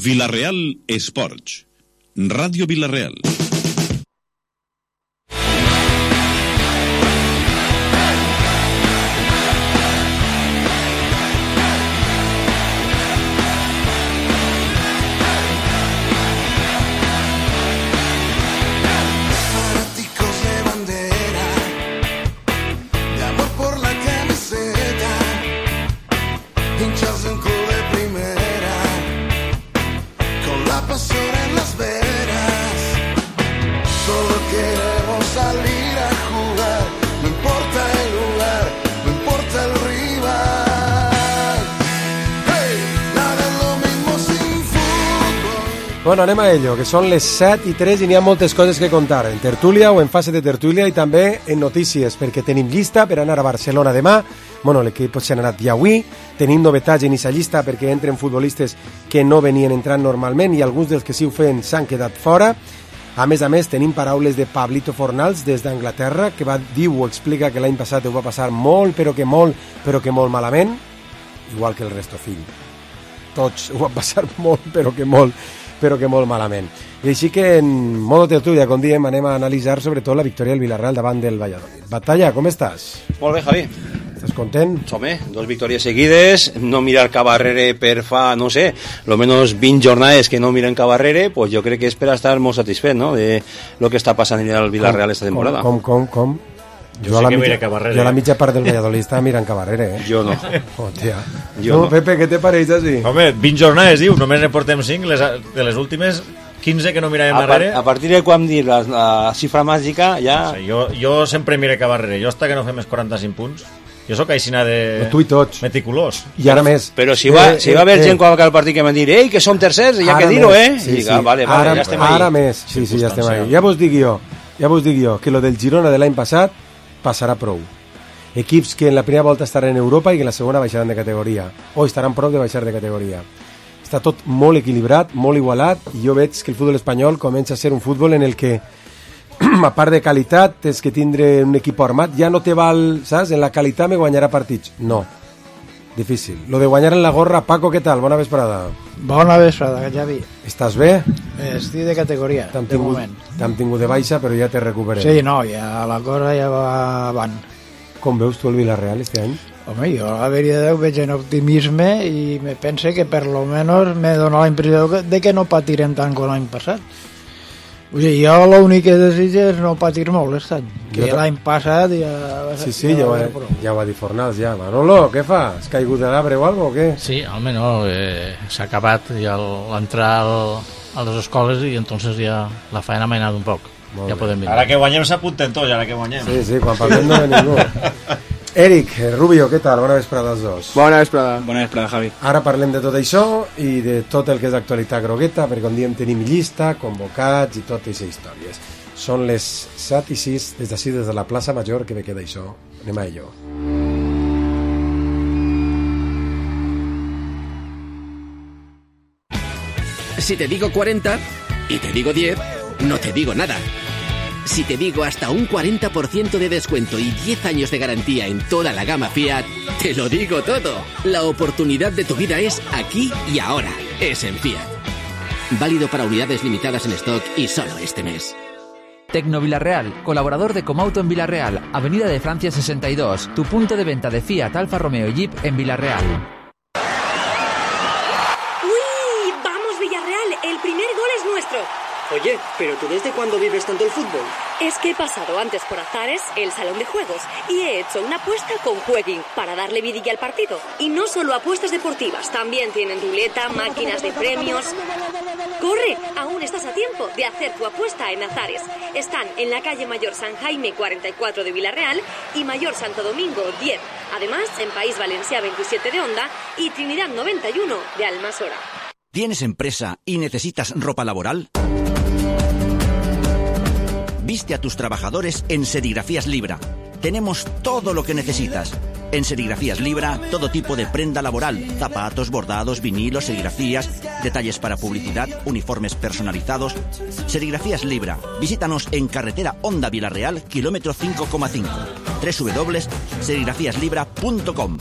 Vila-real Esports. Ràdio Vila-real. Bueno, anem a ello, que són les 7:03 i n'hi ha moltes coses que contar, en tertúlia o en fase de tertúlia i també en notícies, perquè tenim llista per anar a Barcelona demà. Bueno, l'equip s'ha anat ja avui, tenim novetats en aquesta llista perquè entren futbolistes que no venien entrant normalment i alguns dels que sí ho feien s'han quedat fora. A més, tenim paraules de Pablito Fornals des d'Anglaterra, que diu o explica que l'any passat ho va passar molt, però que molt malament, igual que el resto fill. Tots ho van passar molt, però que molt malament. I així que en modo tertúlia, com diem, anem a analitzar sobretot la victòria del Villarreal davant del Valladolid. Batalla, com estàs? Molt bé, Javi. Estàs content? Home, 2 victòries seguides, no mirar cap arrere per fa, no sé, lo menos 20 jornades que no miren cap arrere, pues jo crec que és per estar molt satisfet, no?, de lo que està passant en el Villarreal esta temporada. Com? Jo a la mitja part del Valladolid estava mirant Cabarrere, Jo no. Hòstia. No, Pepe, què te pareix així? Home, 20 jornades, diu, només ne portem 5, de les últimes 15 que no miràvem darrere. A partir de quan dir la xifra màgica, ja... No sé, jo sempre miré Cabarrere, jo hasta que no fem els 45 punts. Jo sóc aixina de... Tu i tots. Meticulós. I ara més. Però si va haver gent quan va acabar el partit que van dir que som tercers, ja que dir-ho, Sí. Vale, ja estem ahí. Ara més, sí, ja estem ahí. Ja vos dic jo, que lo del Girona de l'any passat passarà prou. Equips que en la primera volta estaran en Europa i que en la segona baixaran de categoria, o estaran prop de baixar de categoria. Està tot molt equilibrat, molt igualat, i jo veig que el futbol espanyol comença a ser un futbol en el que, a part de qualitat, tens que tindre un equip armat. Ja no te val, saps? En la qualitat me guanyarà partits. No. Difícil. Lo de guanyar en la gorra. Paco, què tal? Bona vesprada. Bona vesprada, Javi. Estàs bé? Estic de categoria, de moment. T'hem tingut de baixa, però ja te recuperem. Sí, no, ja la cosa ja va avant. Com veus tu el Villarreal este any? Home, jo la veritat ho veig en optimisme i me pense que per lo menos me dona la impressió de que no patirem tant com l'any passat. O sigui, jo l'únic que desitjo és no patir molt aquest any, que l'any passat ja... Sí, ja ho va dir Fornals, ja. Manolo, què fa? Has caigut de l'arbre o alguna cosa, o què? Sí, almenys s'ha acabat ja l'entrar a les escoles i entonces ja la feina m'ha anat un poc. Ja podem mirar. Ara que guanyem s'apunten tots, ara que guanyem. Sí, quan parlem no ve ningú. Eric, Rubio, què tal? Bona vesprada als dos. Bona vesprada, Javi. Ara parlem de tot això i de tot el que és actualitat grogueta, perquè com diem tenim llista, convocats i totes aquestes històries. Són les 7:06, des d'ací, des de la plaça Major, que me queda això. Anem a ello. Si te digo 40 y te digo 10, no te digo nada. Si te digo hasta un 40% de descuento y 10 años de garantía en toda la gama Fiat, te lo digo todo. La oportunidad de tu vida es aquí y ahora. Es en Fiat. Válido para unidades limitadas en stock y solo este mes. Tecno Villarreal, colaborador de Comauto en Villarreal, Avenida de Francia 62, tu punto de venta de Fiat, Alfa Romeo y Jeep en Villarreal. ¡Uy! ¡Vamos, Villarreal! El primer gol es nuestro. Oye, ¿pero tú desde cuándo vives tanto el fútbol? Es que he pasado antes por Azares, el salón de juegos, y he hecho una apuesta con Jueguin para darle vidilla al partido. Y no solo apuestas deportivas, también tienen ruleta, máquinas de premios. ¡Corre! Aún estás a tiempo de hacer tu apuesta en Azares. Están en la calle Mayor San Jaime 44 de Villarreal y Mayor Santo Domingo 10. Además, en País Valencià 27 de Onda y Trinidad 91 de Almasora. ¿Tienes empresa y necesitas ropa laboral? Viste a tus trabajadores en Serigrafías Libra. Tenemos todo lo que necesitas. En Serigrafías Libra, todo tipo de prenda laboral, zapatos, bordados, vinilos, serigrafías, detalles para publicidad, uniformes personalizados. Serigrafías Libra. Visítanos en carretera Onda Villarreal, kilómetro 5,5. www.serigrafiaslibra.com.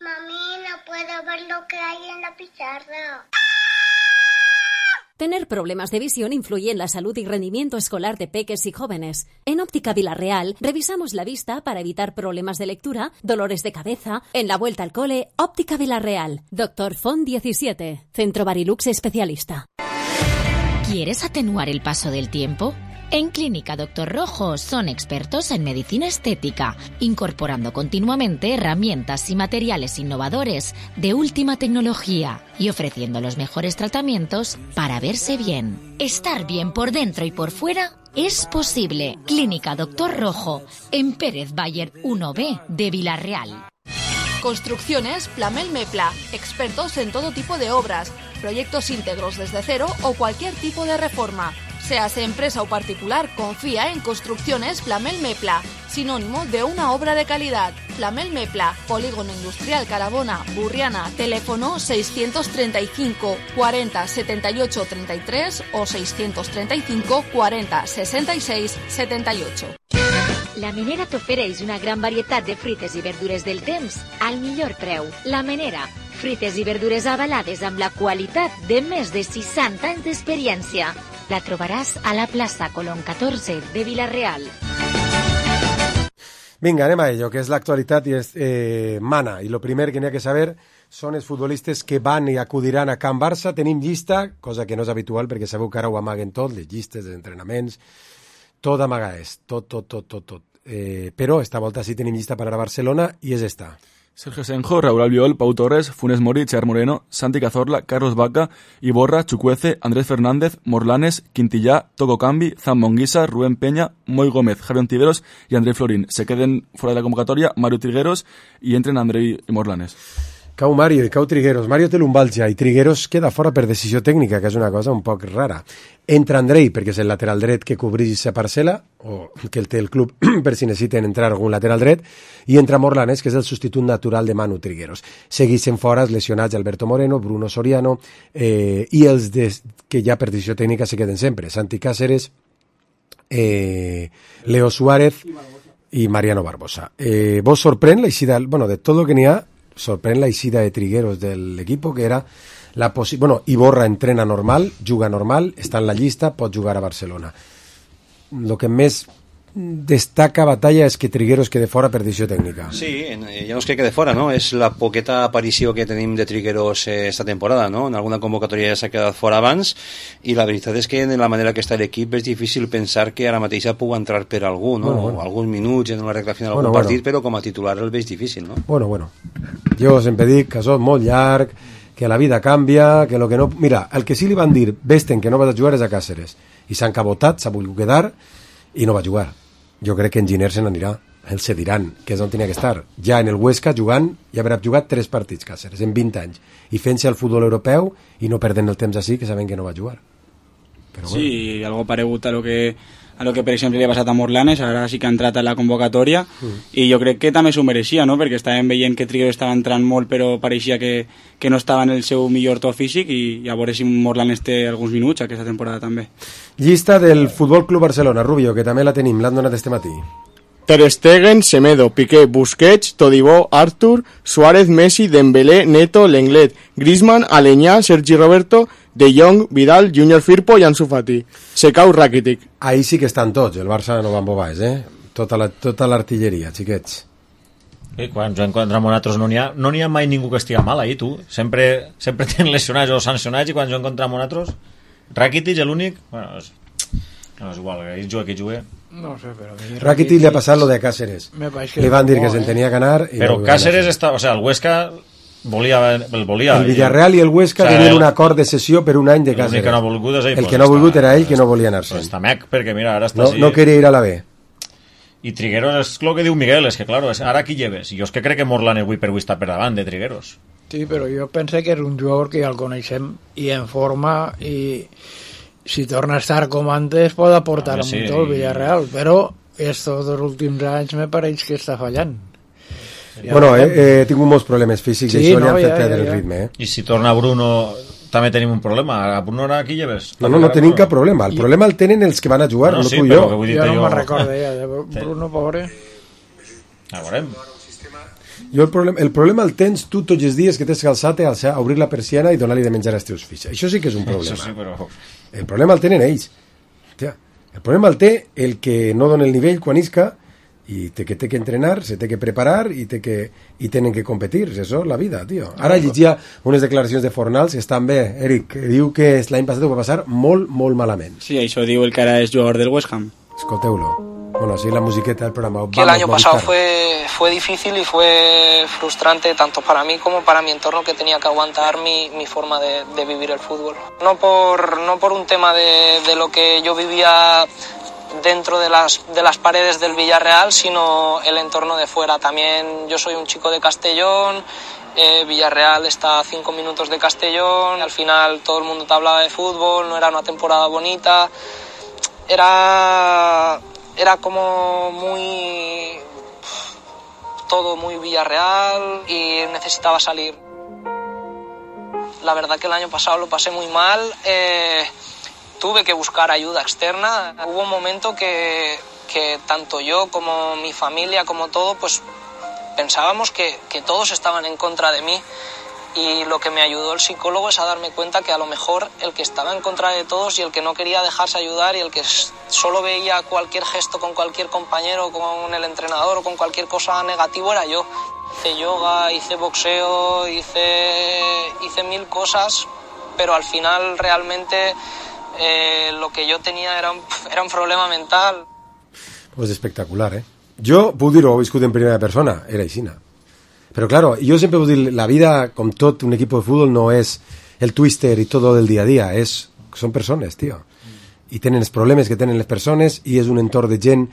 Mami, no puedo ver ver lo que hay en la pizarra. Tener problemas de visión influye en la salud y rendimiento escolar de peques y jóvenes. En Óptica Vilarreal revisamos la vista para evitar problemas de lectura, dolores de cabeza. En la vuelta al cole, Óptica Vilarreal. Dr. Font 17, Centro Barilux especialista. ¿Quieres atenuar el paso del tiempo? En Clínica Dr. Rojo son expertos en medicina estética, incorporando continuamente herramientas y materiales innovadores de última tecnología y ofreciendo los mejores tratamientos para verse bien. Estar bien por dentro y por fuera es posible. Clínica Dr. Rojo, en Pérez Bayer 1B de Vilarreal. Construcciones Plamel Mepla, expertos en todo tipo de obras, proyectos íntegros desde cero o cualquier tipo de reforma. Seas empresa o particular, confía en Construcciones Plamel Mepla, sinónimo de una obra de calidad. Plamel Mepla, Polígono Industrial Carabona, Burriana, teléfono 635 40 78 33 o 635 40 66 78. La Menera t'ofereix una gran varietat de fruites i verdures del temps al millor preu. La Menera, fruites i verdures avalades amb la qualitat de més de 60 anys d'experiència. La trobaràs a la plaça Colón 14 de Vilarreal. Vinga, anem a ello, que és l'actualitat i és mana. I lo primer que n'hi ha que saber són els futbolistes que van i acudiran a Can Barça. Tenim llista, cosa que no és habitual perquè sabeu que ara ho amaguen tot, les llistes, els entrenaments, tot amaga és, tot. Però esta volta sí tenim llista per anar a Barcelona i és esta. Sergio Senjo, Raúl Albiol, Pau Torres, Funes Mori, Char Moreno, Santi Cazorla, Carlos Vaca, Iborra, Chukwueze, Andrés Fernández, Morlanes, Quintillá, Toco Cambi, Zan Monguisa, Rubén Peña, Moy Gómez, Javier Ontiveros y André Florín. Se queden fuera de la convocatoria Mario Trigueros y entren André y Morlanes. Cau Mario i cau Trigueros. Mario té lumbalgia i Trigueros queda fora per decisió tècnica, que és una cosa un poc rara. Entra Andrei, perquè és el lateral dret que cobreix sa parcel·la, o que el té el club per si necessiten entrar algun lateral dret, i entra Morlanes, que és el substitut natural de Manu Trigueros. Segueixen fora els lesionats Alberto Moreno, Bruno Soriano, i els que ja per decisió tècnica se queden sempre. Santi Cáceres, Leo Suárez i Mariano Barbosa. Vos sorprèn la eixida, de tot el que n'hi ha, sorprèn la eixida de Trigueros del equipo, que era la Iborra entrena normal, juga normal, està en la llista, pot jugar a Barcelona. Lo que més destaca batalla és que Trigueros quede fora per decisió tècnica. Sí, ja no és que quede fora, no? És la poqueta aparició que tenim de Trigueros esta temporada, no? En alguna convocatòria ja s'ha quedat fora abans, i la veritat és que en la manera que està l'equip és difícil pensar que ara mateix pugui entrar per algú, no? Bueno. Alguns minuts en la recta final d'algun partit, però com a titular el veig difícil, no? Bueno. Jo sempre dic que això és molt llarg, que la vida canvia, que lo que no... Mira, el que sí li van dir, vesten que no vas a jugar és a Càceres, i s'ha encabotat, s'ha volgut quedar, i no va jugar. Jo crec que en Giner se n'anirà. Ells se diran que és on tenia que estar. Ja en el Huesca jugant, ja haurà jugat 3 partits Càceres en 20 anys, i fent-se al futbol europeu i no perdent el temps així, que saben que no va jugar. Però sí, algo paregut a lo que per exemple li ha passat a Morlanes, ara sí que ha entrat a la convocatòria, i jo crec que també s'ho mereixia, no? Perquè estàvem veient que Trigueros estava entrant molt, però pareixia que no estava en el seu millor to físic, i a veure si Morlanes té alguns minuts aquesta temporada també. Llista del Futbol Club Barcelona, Rubio, que també la tenim, l'han donat este matí. Ter Stegen, Semedo, Piqué, Busquets, Todibó, Artur, Suárez, Messi, Dembélé, Neto, Lenglet, Griezmann, Aleñá, Sergi Roberto, De Jong, Vidal, Junior Firpo i Ansu Fati. Secau, Rakitic. Ahí sí que estan tots, el Barça no va amb bobais, tota l'artilleria, xiquets. I quan juguen contra nosaltres no n'hi ha mai ningú que estiga mal ahí, tu. Sempre tenen lesionats o sancionats, i quan juguen contra nosaltres Rakitic és l'únic, bueno, no és igual, que ell juga qui juga. No sé, però... Rakitic li ha passat lo de Cáceres. Li van dir que se'n tenia que anar... Però Cáceres està... O sea, el Huesca el volia. El Villarreal i el Huesca tenien un acord de cessió per un any de Cáceres. Que no ha volgut és ell. El que no ha volgut era ell, que no volia anar-se. Està mec, perquè mira, ara està no queria ir a la B. I Trigueros és el que diu Miguel, és que claro, ara qui lleves? Jo és que crec que Morlanes avui per avui està per davant de Trigueros. Sí, però jo penso que és un jugador que ja el coneixem i en forma, i si torna a estar com antes pot aportar molt el Villarreal, però estos dos últims anys me pareix que està fallant. Bueno, he tingut molts problemes físics, i això li han fet perdre el ritme. I si torna Bruno també tenim un problema. A Bruno ara qui lleves? No tenim cap problema. El problema el tenen els que van a jugar, no tu i jo. Jo no me'n recordo ja de Bruno, pobre. A veurem. Jo el problema el tens tu tots els dies que tens que alçar-te a obrir la persiana i donar-li de menjar als teus fills. Això sí que és un problema. Això sí, però... El problema el tenen ells. Hòstia, el problema el té el que no dona el nivell quan isca i té que entrenar, se té que preparar i tenen que competir. Això és la vida, tio. Ara llegia unes declaracions de Fornals que estan bé. Eric, que diu que l'any passat ho va passar molt, molt malament. Sí, això diu el que ara és jugador del West Ham. Escolteu-lo. Bueno, así la musiqueta del programa. Que el año pasado fue difícil y fue frustrante tanto para mí como para mi entorno, que tenía que aguantar mi forma de vivir el fútbol. No por un tema de lo que yo vivía dentro de las paredes del Villarreal, sino el entorno de fuera. También yo soy un chico de Castellón, Villarreal está a 5 minutos de Castellón, al final todo el mundo te hablaba de fútbol, no era una temporada bonita, era como todo muy Villarreal y necesitaba salir. La verdad que el año pasado lo pasé muy mal, tuve que buscar ayuda externa. Hubo un momento que tanto yo como mi familia, como todo, pues pensábamos que todos estaban en contra de mí. Y lo que me ayudó el psicólogo es a darme cuenta que a lo mejor el que estaba en contra de todos y el que no quería dejarse ayudar y el que solo veía cualquier gesto con cualquier compañero, con el entrenador o con cualquier cosa negativo era yo. Hice yoga, hice boxeo, hice 1000 cosas, pero al final realmente lo que yo tenía era un problema mental. Pues espectacular, ¿eh? Jo puc dir-ho, he viscut en primera persona, era aixina. Pero claro, yo siempre puedo decir, la vida con todo un equipo de fútbol no es el twister y todo del día a día, son personas, tío. I tenen els problemes que tenen les persones i és un entorn de gent,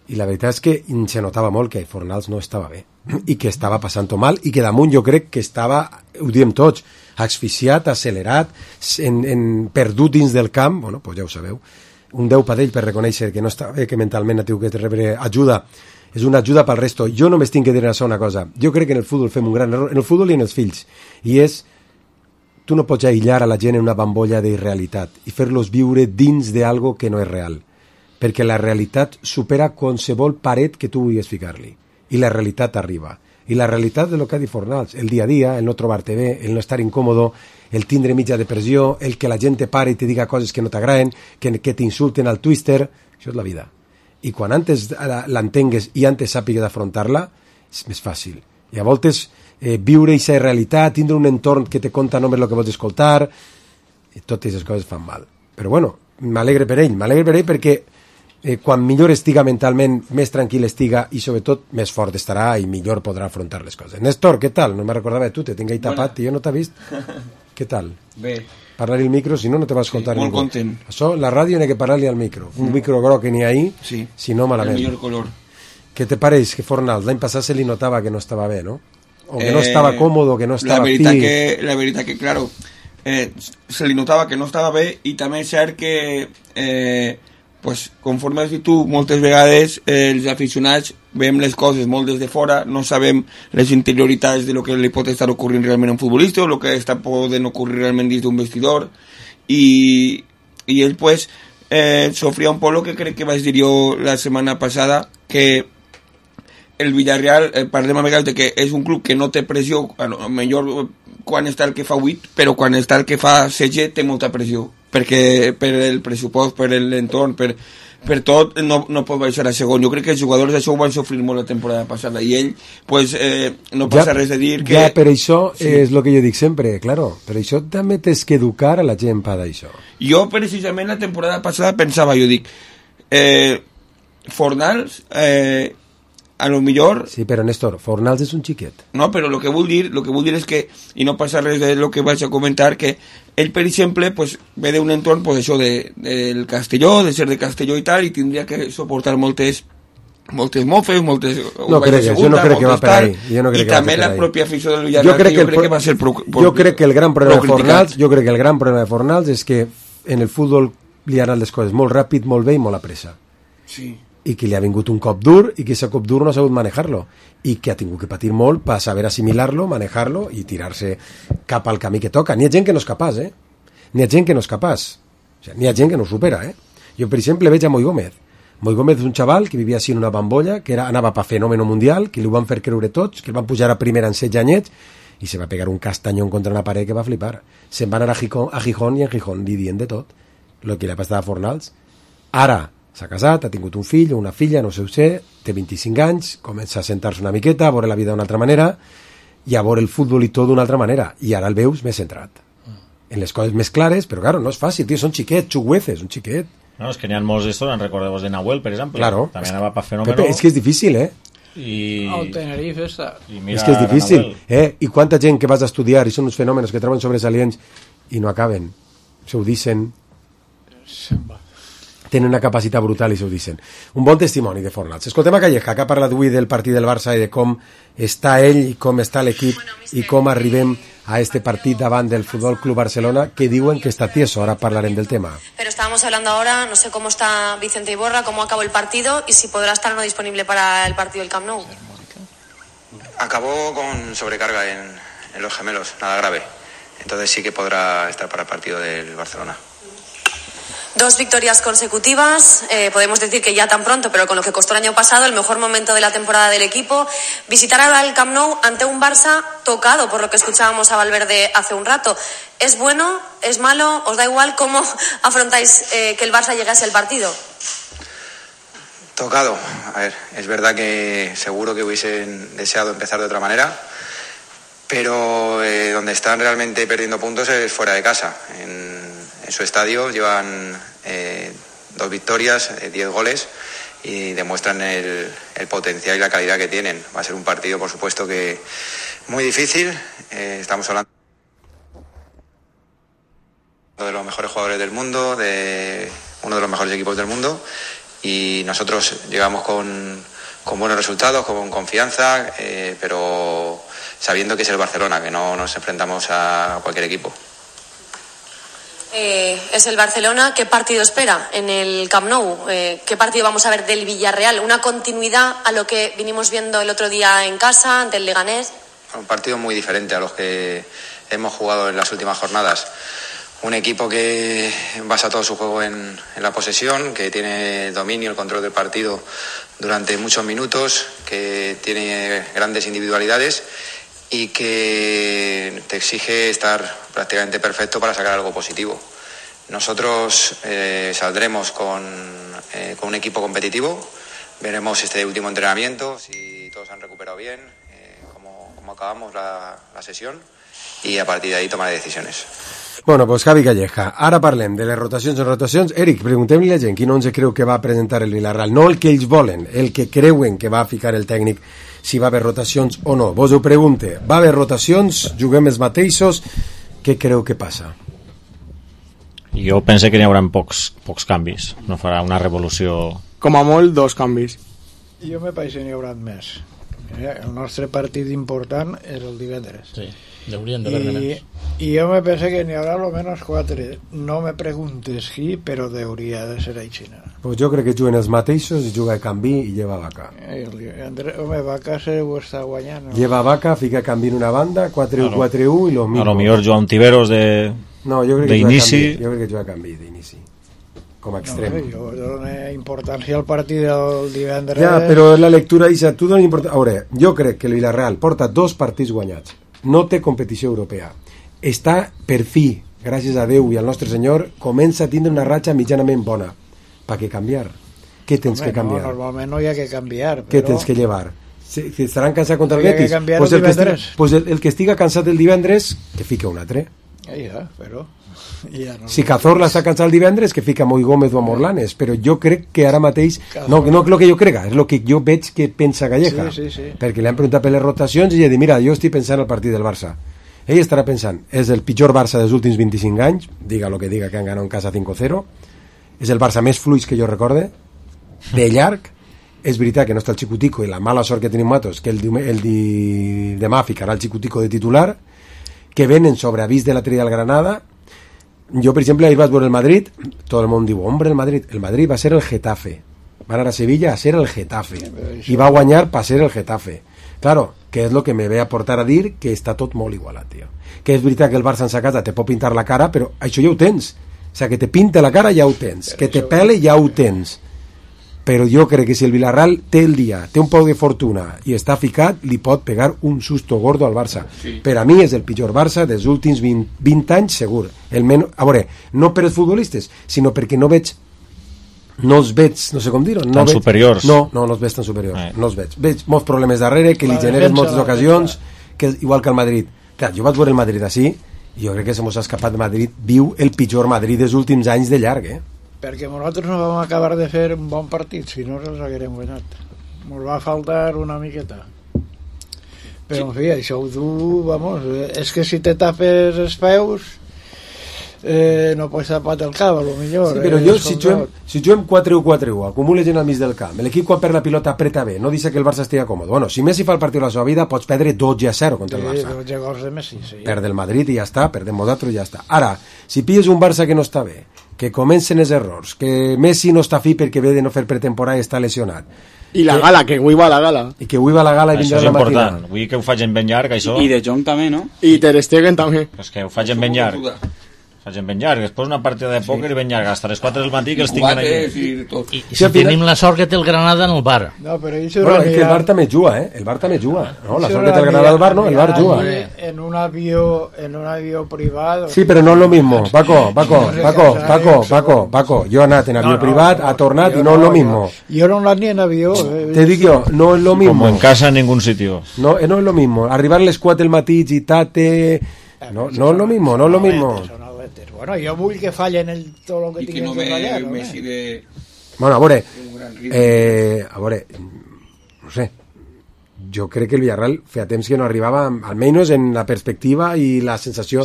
i la veritat és que se notava molt que Fornals no estava bé i que estava passant-ho mal i que damunt jo crec que estava, ho diem tots, asfixiat, accelerat, perdut dins del camp. Bueno, pues ja ho sabeu, un 10 per ell per reconèixer que no està bé, que mentalment ha tingut que rebre ajuda. És una ajuda pel resto. Jo només tinc que dir això una cosa. Jo crec que en el futbol fem un gran error, en el futbol i en els fills, i és, tu no pots aïllar a la gent en una bambolla d'irrealitat i fer-los viure dins d'algo que no és real, perquè la realitat supera qualsevol paret que tu vulguis ficar-li, i la realitat arriba. I la realitat de lo que ha dit Fornals, el dia a dia, el no trobar-te bé, el no estar incòmodo, el tindre mitja depressió, el que la gent te pare i te diga coses que no t'agraden, que t'insulten al twister, això és la vida. I quan antes l'entengues i antes sàpigues d'afrontar-la, és més fàcil. I a voltes viure aquesta realitat, tindre un entorn que te conta només el que vols escoltar, i totes aquestes coses fan mal. Però bueno, m'alegre per ell perquè quan millor estiga mentalment, més tranquil estiga i sobretot més fort estarà i millor podrà afrontar les coses. Néstor, què tal? No me recordava de tu, te tinc ahí tapat i jo no t'he vist. Què tal? Bé. Parlar-hi al micro, si no, no te va escoltar ningú. Molt content. Això, la ràdio n'hi ha que parlar-li al micro. Un micro groc que n'hi ha ahí, sí, si no, malament. El millor color. Què te pareix que Fornals l'any passat se li notava que no estava bé, no? O que no estava còmodo, que no estava La veritat que, claro, se li notava que no estava bé i també és cert que pues, conforme has dit tu, moltes vegades els aficionats veiem les coses molt des de fora, no sabem les interioritats de lo que li pot estar ocorrint realment a un futbolista o lo que està podent ocorrir realment dins d'un vestidor i ell pues sofria un poc lo que crec que vaig dir jo la setmana passada, que el Villarreal, parlem a vegades de que és un club que no té pressió, millor quan està el que fa 8, però quan està el que fa 16 té molta pressió, perquè per el pressupost, per l'entorn, per tot no pot baixar a segon. Jo crec que els jugadors això ho van sofrir molt la temporada passada i ell pues, no passa res de dir que... Ja, per això sí. És el que jo dic sempre, claro, per això també tens que educar a la gent per això. Jo precisament la temporada passada pensava, jo dic Fornals a lo millor... Sí, però Néstor, Fornals és un xiquet. No, però lo que vull dir és que, i no passa res de lo que vaig a comentar, que ell, per exemple, pues, ve d'un entorn pues, això del Castelló, de ser de Castelló i tal, i tindria que suportar moltes mofes, moltes... No crec, jo no crec que va per ahí. I també la pròpia afició del Villarreal, jo crec que va ser... Jo crec que el gran problema de Fornals és que en el futbol li han anat les coses molt ràpid, molt bé i molt a pressa. Sí. I que li ha vingut un cop dur i que aquest cop dur no ha sabut manejar-lo i que ha tingut que patir molt per saber assimilar-lo, manejar-lo i tirar-se cap al camí que toca. N'hi ha gent que no és capaç, N'hi ha gent que no és capaç. O sigui, n'hi ha gent que no ho supera, Jo, per exemple, veig a Moi Gómez. Moi Gómez és un xaval que vivia així en una bambolla, que anava per fenòmeno mundial, que li ho van fer creure tots, que el van pujar a primera en 16 anyets, i se va pegar un castanyón contra una paret que va flipar. Se'n van anar a Gijón i en Gijón li dient de tot, el que li ha passat a Fornals. Ara s'ha casat, ha tingut un fill o una filla, no sé, té 25 anys, comença a sentar-se una miqueta, a veure la vida d'una altra manera, i a veure el futbol i tot d'una altra manera, i ara el veus més centrat. En les coses més clares, però claro, no és fàcil, tio, són xiquets, xugueces, un xiquet. No, és que n'hi ha molts d'estos, recordeu-vos de Nahuel, per exemple, claro. També anava per fenòmeno. Pepe, és que és difícil, El Tenerife està... És que és difícil, I quanta gent que vas a estudiar i són uns fenòmenos que troben sobresalients i no acaben, se ho dicen, tenen una capacitat brutal i se ho dicen. Un bon testimoni de Fornals. Escoltem a Calleja, que ha parlat avui del partit del Barça i de com està ell i com està l'equip i com arribem a este partit davant del Futbol Club Barcelona, que diuen que está tieso. Ahora hablarem del tema. Pero estábamos hablando ahora, no sé cómo está Vicente Iborra, cómo acabó el partido y si podrá estar o no disponible para el partido del Camp Nou. Acabó con sobrecarga en los gemelos, nada grave. Entonces sí que podrá estar para el partido del Barcelona. 2 victorias consecutivas, podemos decir que ya tan pronto, pero con lo que costó el año pasado, el mejor momento de la temporada del equipo. Visitar ahora el Camp Nou ante un Barça tocado, por lo que escuchábamos a Valverde hace un rato. ¿Es bueno? ¿Es malo? ¿Os da igual? ¿Cómo afrontáis que el Barça llegase al partido? Tocado. A ver, es verdad que seguro que hubiesen deseado empezar de otra manera, pero donde están realmente perdiendo puntos es fuera de casa. En su estadio llevan 2 victorias, 10 goles y demuestran el potencial y la calidad que tienen. Va a ser un partido, por supuesto, que muy difícil. Estamos hablando de los mejores jugadores del mundo, de uno de los mejores equipos del mundo, y nosotros llegamos con buenos resultados, con confianza, pero sabiendo que es el Barcelona, que no nos enfrentamos a cualquier equipo. Es el Barcelona. ¿Qué partido espera en el Camp Nou? ¿Qué partido vamos a ver del Villarreal? ¿Una continuidad a lo que vinimos viendo el otro día en casa, ante el Leganés? Un partido muy diferente a los que hemos jugado en las últimas jornadas. Un equipo que basa todo su juego en la posesión, que tiene el dominio, el control del partido durante muchos minutos, que tiene grandes individualidades y que te exige estar prácticamente perfecto para sacar algo positivo. Nosotros saldremos con un equipo competitivo, veremos este último entrenamiento, si todos han recuperado bien, cómo acabamos la sesión, y a partir de ahí tomar decisiones. Bueno, pues Javi Calleja, ara parlem de les rotacions o rotacions. Eric, preguntem-li a la gent quin 11 creu que va presentar el Villarreal, no el que ells volen, el que creuen que va ficar el tècnic, si va haver rotacions o no. Vos ho pregunte, va haver rotacions, juguem els mateixos, què creu que passa? Jo penso que n'hi haurà pocs canvis, no farà una revolució. Com a molt 2 canvis. Jo me penso que n'hi haurà més. El nostre partit important és el divendres. Sí, haurien d'haver més. I jo me penso que n'hi haurà almenys 4. No me preguntes qui, però hauria de ser així. Pues jo crec que juguen els mateixos i juga Canvi i lleva Vaca. Home, Vaca se ho està guanyant. Lleva Vaca, fica Canvi en una banda, 4-1-4-1 i lo mismo. A lo millor Joan Tiveros d'inici. Jo crec que juga Canvi d'inici. Com a extrem. Jo dono importància al partit del divendres. Ja, però la lectura, Isa, tu dones importància. A veure, jo crec que el Villarreal porta 2 partits guanyats. No té competició europea. Està per fi, gràcies a Déu i al nostre Senyor, comença a tindre una ratxa mitjanament bona. Per què canviar? Què tens que canviar? No, normalment no hi ha que canviar. Què tens que llevar? Estaran cansats contra el Betis? Pues el que estiga cansat el divendres, que fica un altre. Ja, però... Ja no. Si Cazorla està cansat el divendres, que fica Moi Gómez o Morlanes, però jo crec que ara mateix no el que jo crega, és el que jo veig que pensa Calleja, sí. perquè li han preguntat per les rotacions i ell ha dit, mira, jo estic pensant al partit del Barça. Ell estarà pensant, és el pitjor Barça dels últims 25 anys, diga lo que diga, que han ganat en casa 5-0, és el Barça més fluix que jo recorde, de llarg. És veritat que no està el Xicutico i la mala sort que tenim Matos, que demà ficarà el Xicutico de titular, que venen sobre avís de la tria del Granada. Jo, per exemple, ahir vaig veure el Madrid, tot el món diu, hombre, el Madrid va ser el Getafe, van anar a Sevilla a ser el Getafe i va guanyar per ser el Getafe. Claro, que és el que me ve a portar a dir que està tot molt igualat, tio. Que és veritat que el Barça en sa casa te pot pintar la cara, però això ja ho tens. O sigui, que te pinta la cara ja ho tens, que te pele ja ho tens. però jo crec que si el Villarreal té el dia, té un poc de fortuna i està ficat, li pot pegar un susto gordo al Barça. Per a mi és el pitjor Barça dels últims 20 anys segur. A veure, no per els futbolistes, sinó perquè no els veig, no sé com dir-ho, tan superiors. No els veig tan superiors, no els veig. Veig molts problemes darrere que li generen moltes ocasions, que igual que el Madrid. Clar, jo vaig veure el Madrid així i jo crec que se mos ha escapat Madrid, viu el pitjor Madrid dels últims anys de llarg, perquè nosaltres no vam acabar de fer un bon partit, si no els haguérem guanyat. Ens va faltar una miqueta. Però, en fi, això ho du, vamos, és que si te tapes els peus, no pots tapar el cap, a lo millor. Sí, però jo, si juguem 4-1-4-1, acumules gent al mig del camp, l'equip quan perd la pilota apreta bé, no dice que el Barça estigui còmode. Bueno, si Messi fa el partit de la seva vida, pots perdre 12-0 contra el Barça. 12 gols de Messi, sí. Perd el Madrid i ja està, perdem nosaltres i ja està. Ara, si pilles un Barça que no està bé, que comencen els errors, que Messi no està fi perquè ve de no fer pretemporada i està lesionat. I la gala, que avui va a la gala. I que avui va a la gala i vindrà la matina. Això és important. Avui que ho facin ben llarg, això. I de Jong també, no? I Ter Stegen també. És que ho facin ben llarg. Facin ben llarg. Després una partida de pòquer i ben llarg. Hasta les 4 del matí que els tinguin aquí. I si tenim la sort que té el Granada en el bar. No, però és que el bar també juga, El bar també juga. No, la sort que té el Granada al bar, no, el bar juga. En un avió privado. Sí, però no és lo mismo. Paco. Jo he anat en avió privat, ha tornat i no és lo mismo. Jo no he anat ni en avió. Te dic jo, no és lo mismo. Como en casa en ningún sitio. No es lo mismo. Arribar a les 4 del matí, gitate... No es lo mismo. Bueno, jo vull que fallen tot el que tinguin que fallar. Bueno, a veure, no sé, jo crec que el Villarreal feia temps que no arribava, almenys en la perspectiva i la sensació.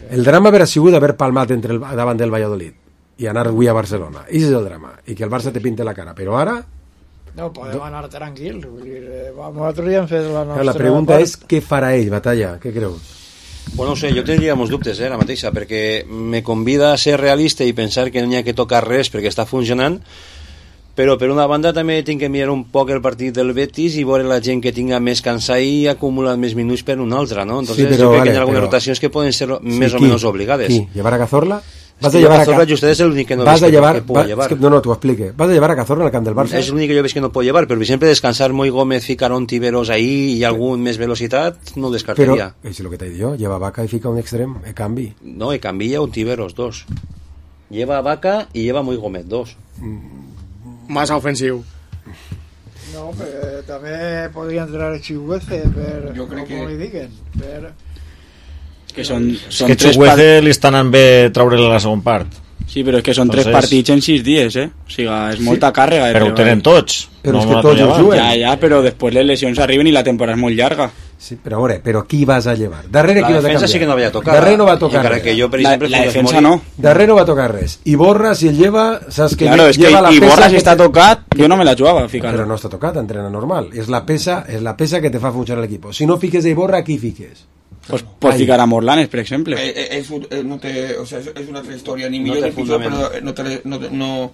El drama haver sigut haver palmat davant del Valladolid i anar avui a Barcelona. I és el drama, i que el Barça te pinte la cara, però ara... No, podem anar tranquils. Nosaltres ja hem fet la nostra... La pregunta és què farà ell, Batalla? Què creus? Bueno, no sé, jo tindria molts dubtes, la mateixa, perquè me convida a ser realista i pensar que no hi ha que tocar res perquè està funcionant, però per una banda també tinc que mirar un poc el partit del Betis i veure la gent que tinga més cansat i acumular més minuts per una altra, no? Entonces jo crec que hi ha algunes rotacions que poden ser més o menys obligades. Qui? ¿Llevar a Cazorla? Vas a llevar a Cazorla, usted es el únic que no ves que puedo llevar. No, t'ho explique. Vas a llevar a Cazorla al camp del Barça? És l'únic que jo veig que no puedo llevar, però per exemple descansar Moi Gómez, ficar un Tiberos ahí i algun més velocitat, no ho descartaria. Però, és el que t'he dit jo, lleva a Vaca i fica un extrem, canvi. No, canvi un Tiberos, 2. Lleva a Vaca i lleva Moi Gómez, 2. Massa ofensiu. No, però també podria entrar a Chihuahua per, com li diguen, per... Que són que Chukwueze li estan anant bé treure-li la segona part. Sí, però és que són 3 partits en 6 dies, O sigui, és molta càrrega. Però ho tenen tots. Però és que tots ho juguen. Ja, però després les lesions arriben i la temporada és molt llarga. Sí, però a veure, qui vas a llevar? Darrere la qui vas a defensa sí que no havia tocat. Darrere no va tocar res. Que jo, per exemple, la defensa no. Darrere no va tocar res. I Borra, si el lleva, saps que claro, lleva la pesa... I Borra, si està tocat, jo no me la jugava, ficar. Però no està tocat, entrena normal. És la pesa que te fa funcionar l'equip. Si no fiques a Iborra, qui fiques? Pues ficar a Morlanes, per exemple. Es una otra historia, ni millor ni pitjor, però no...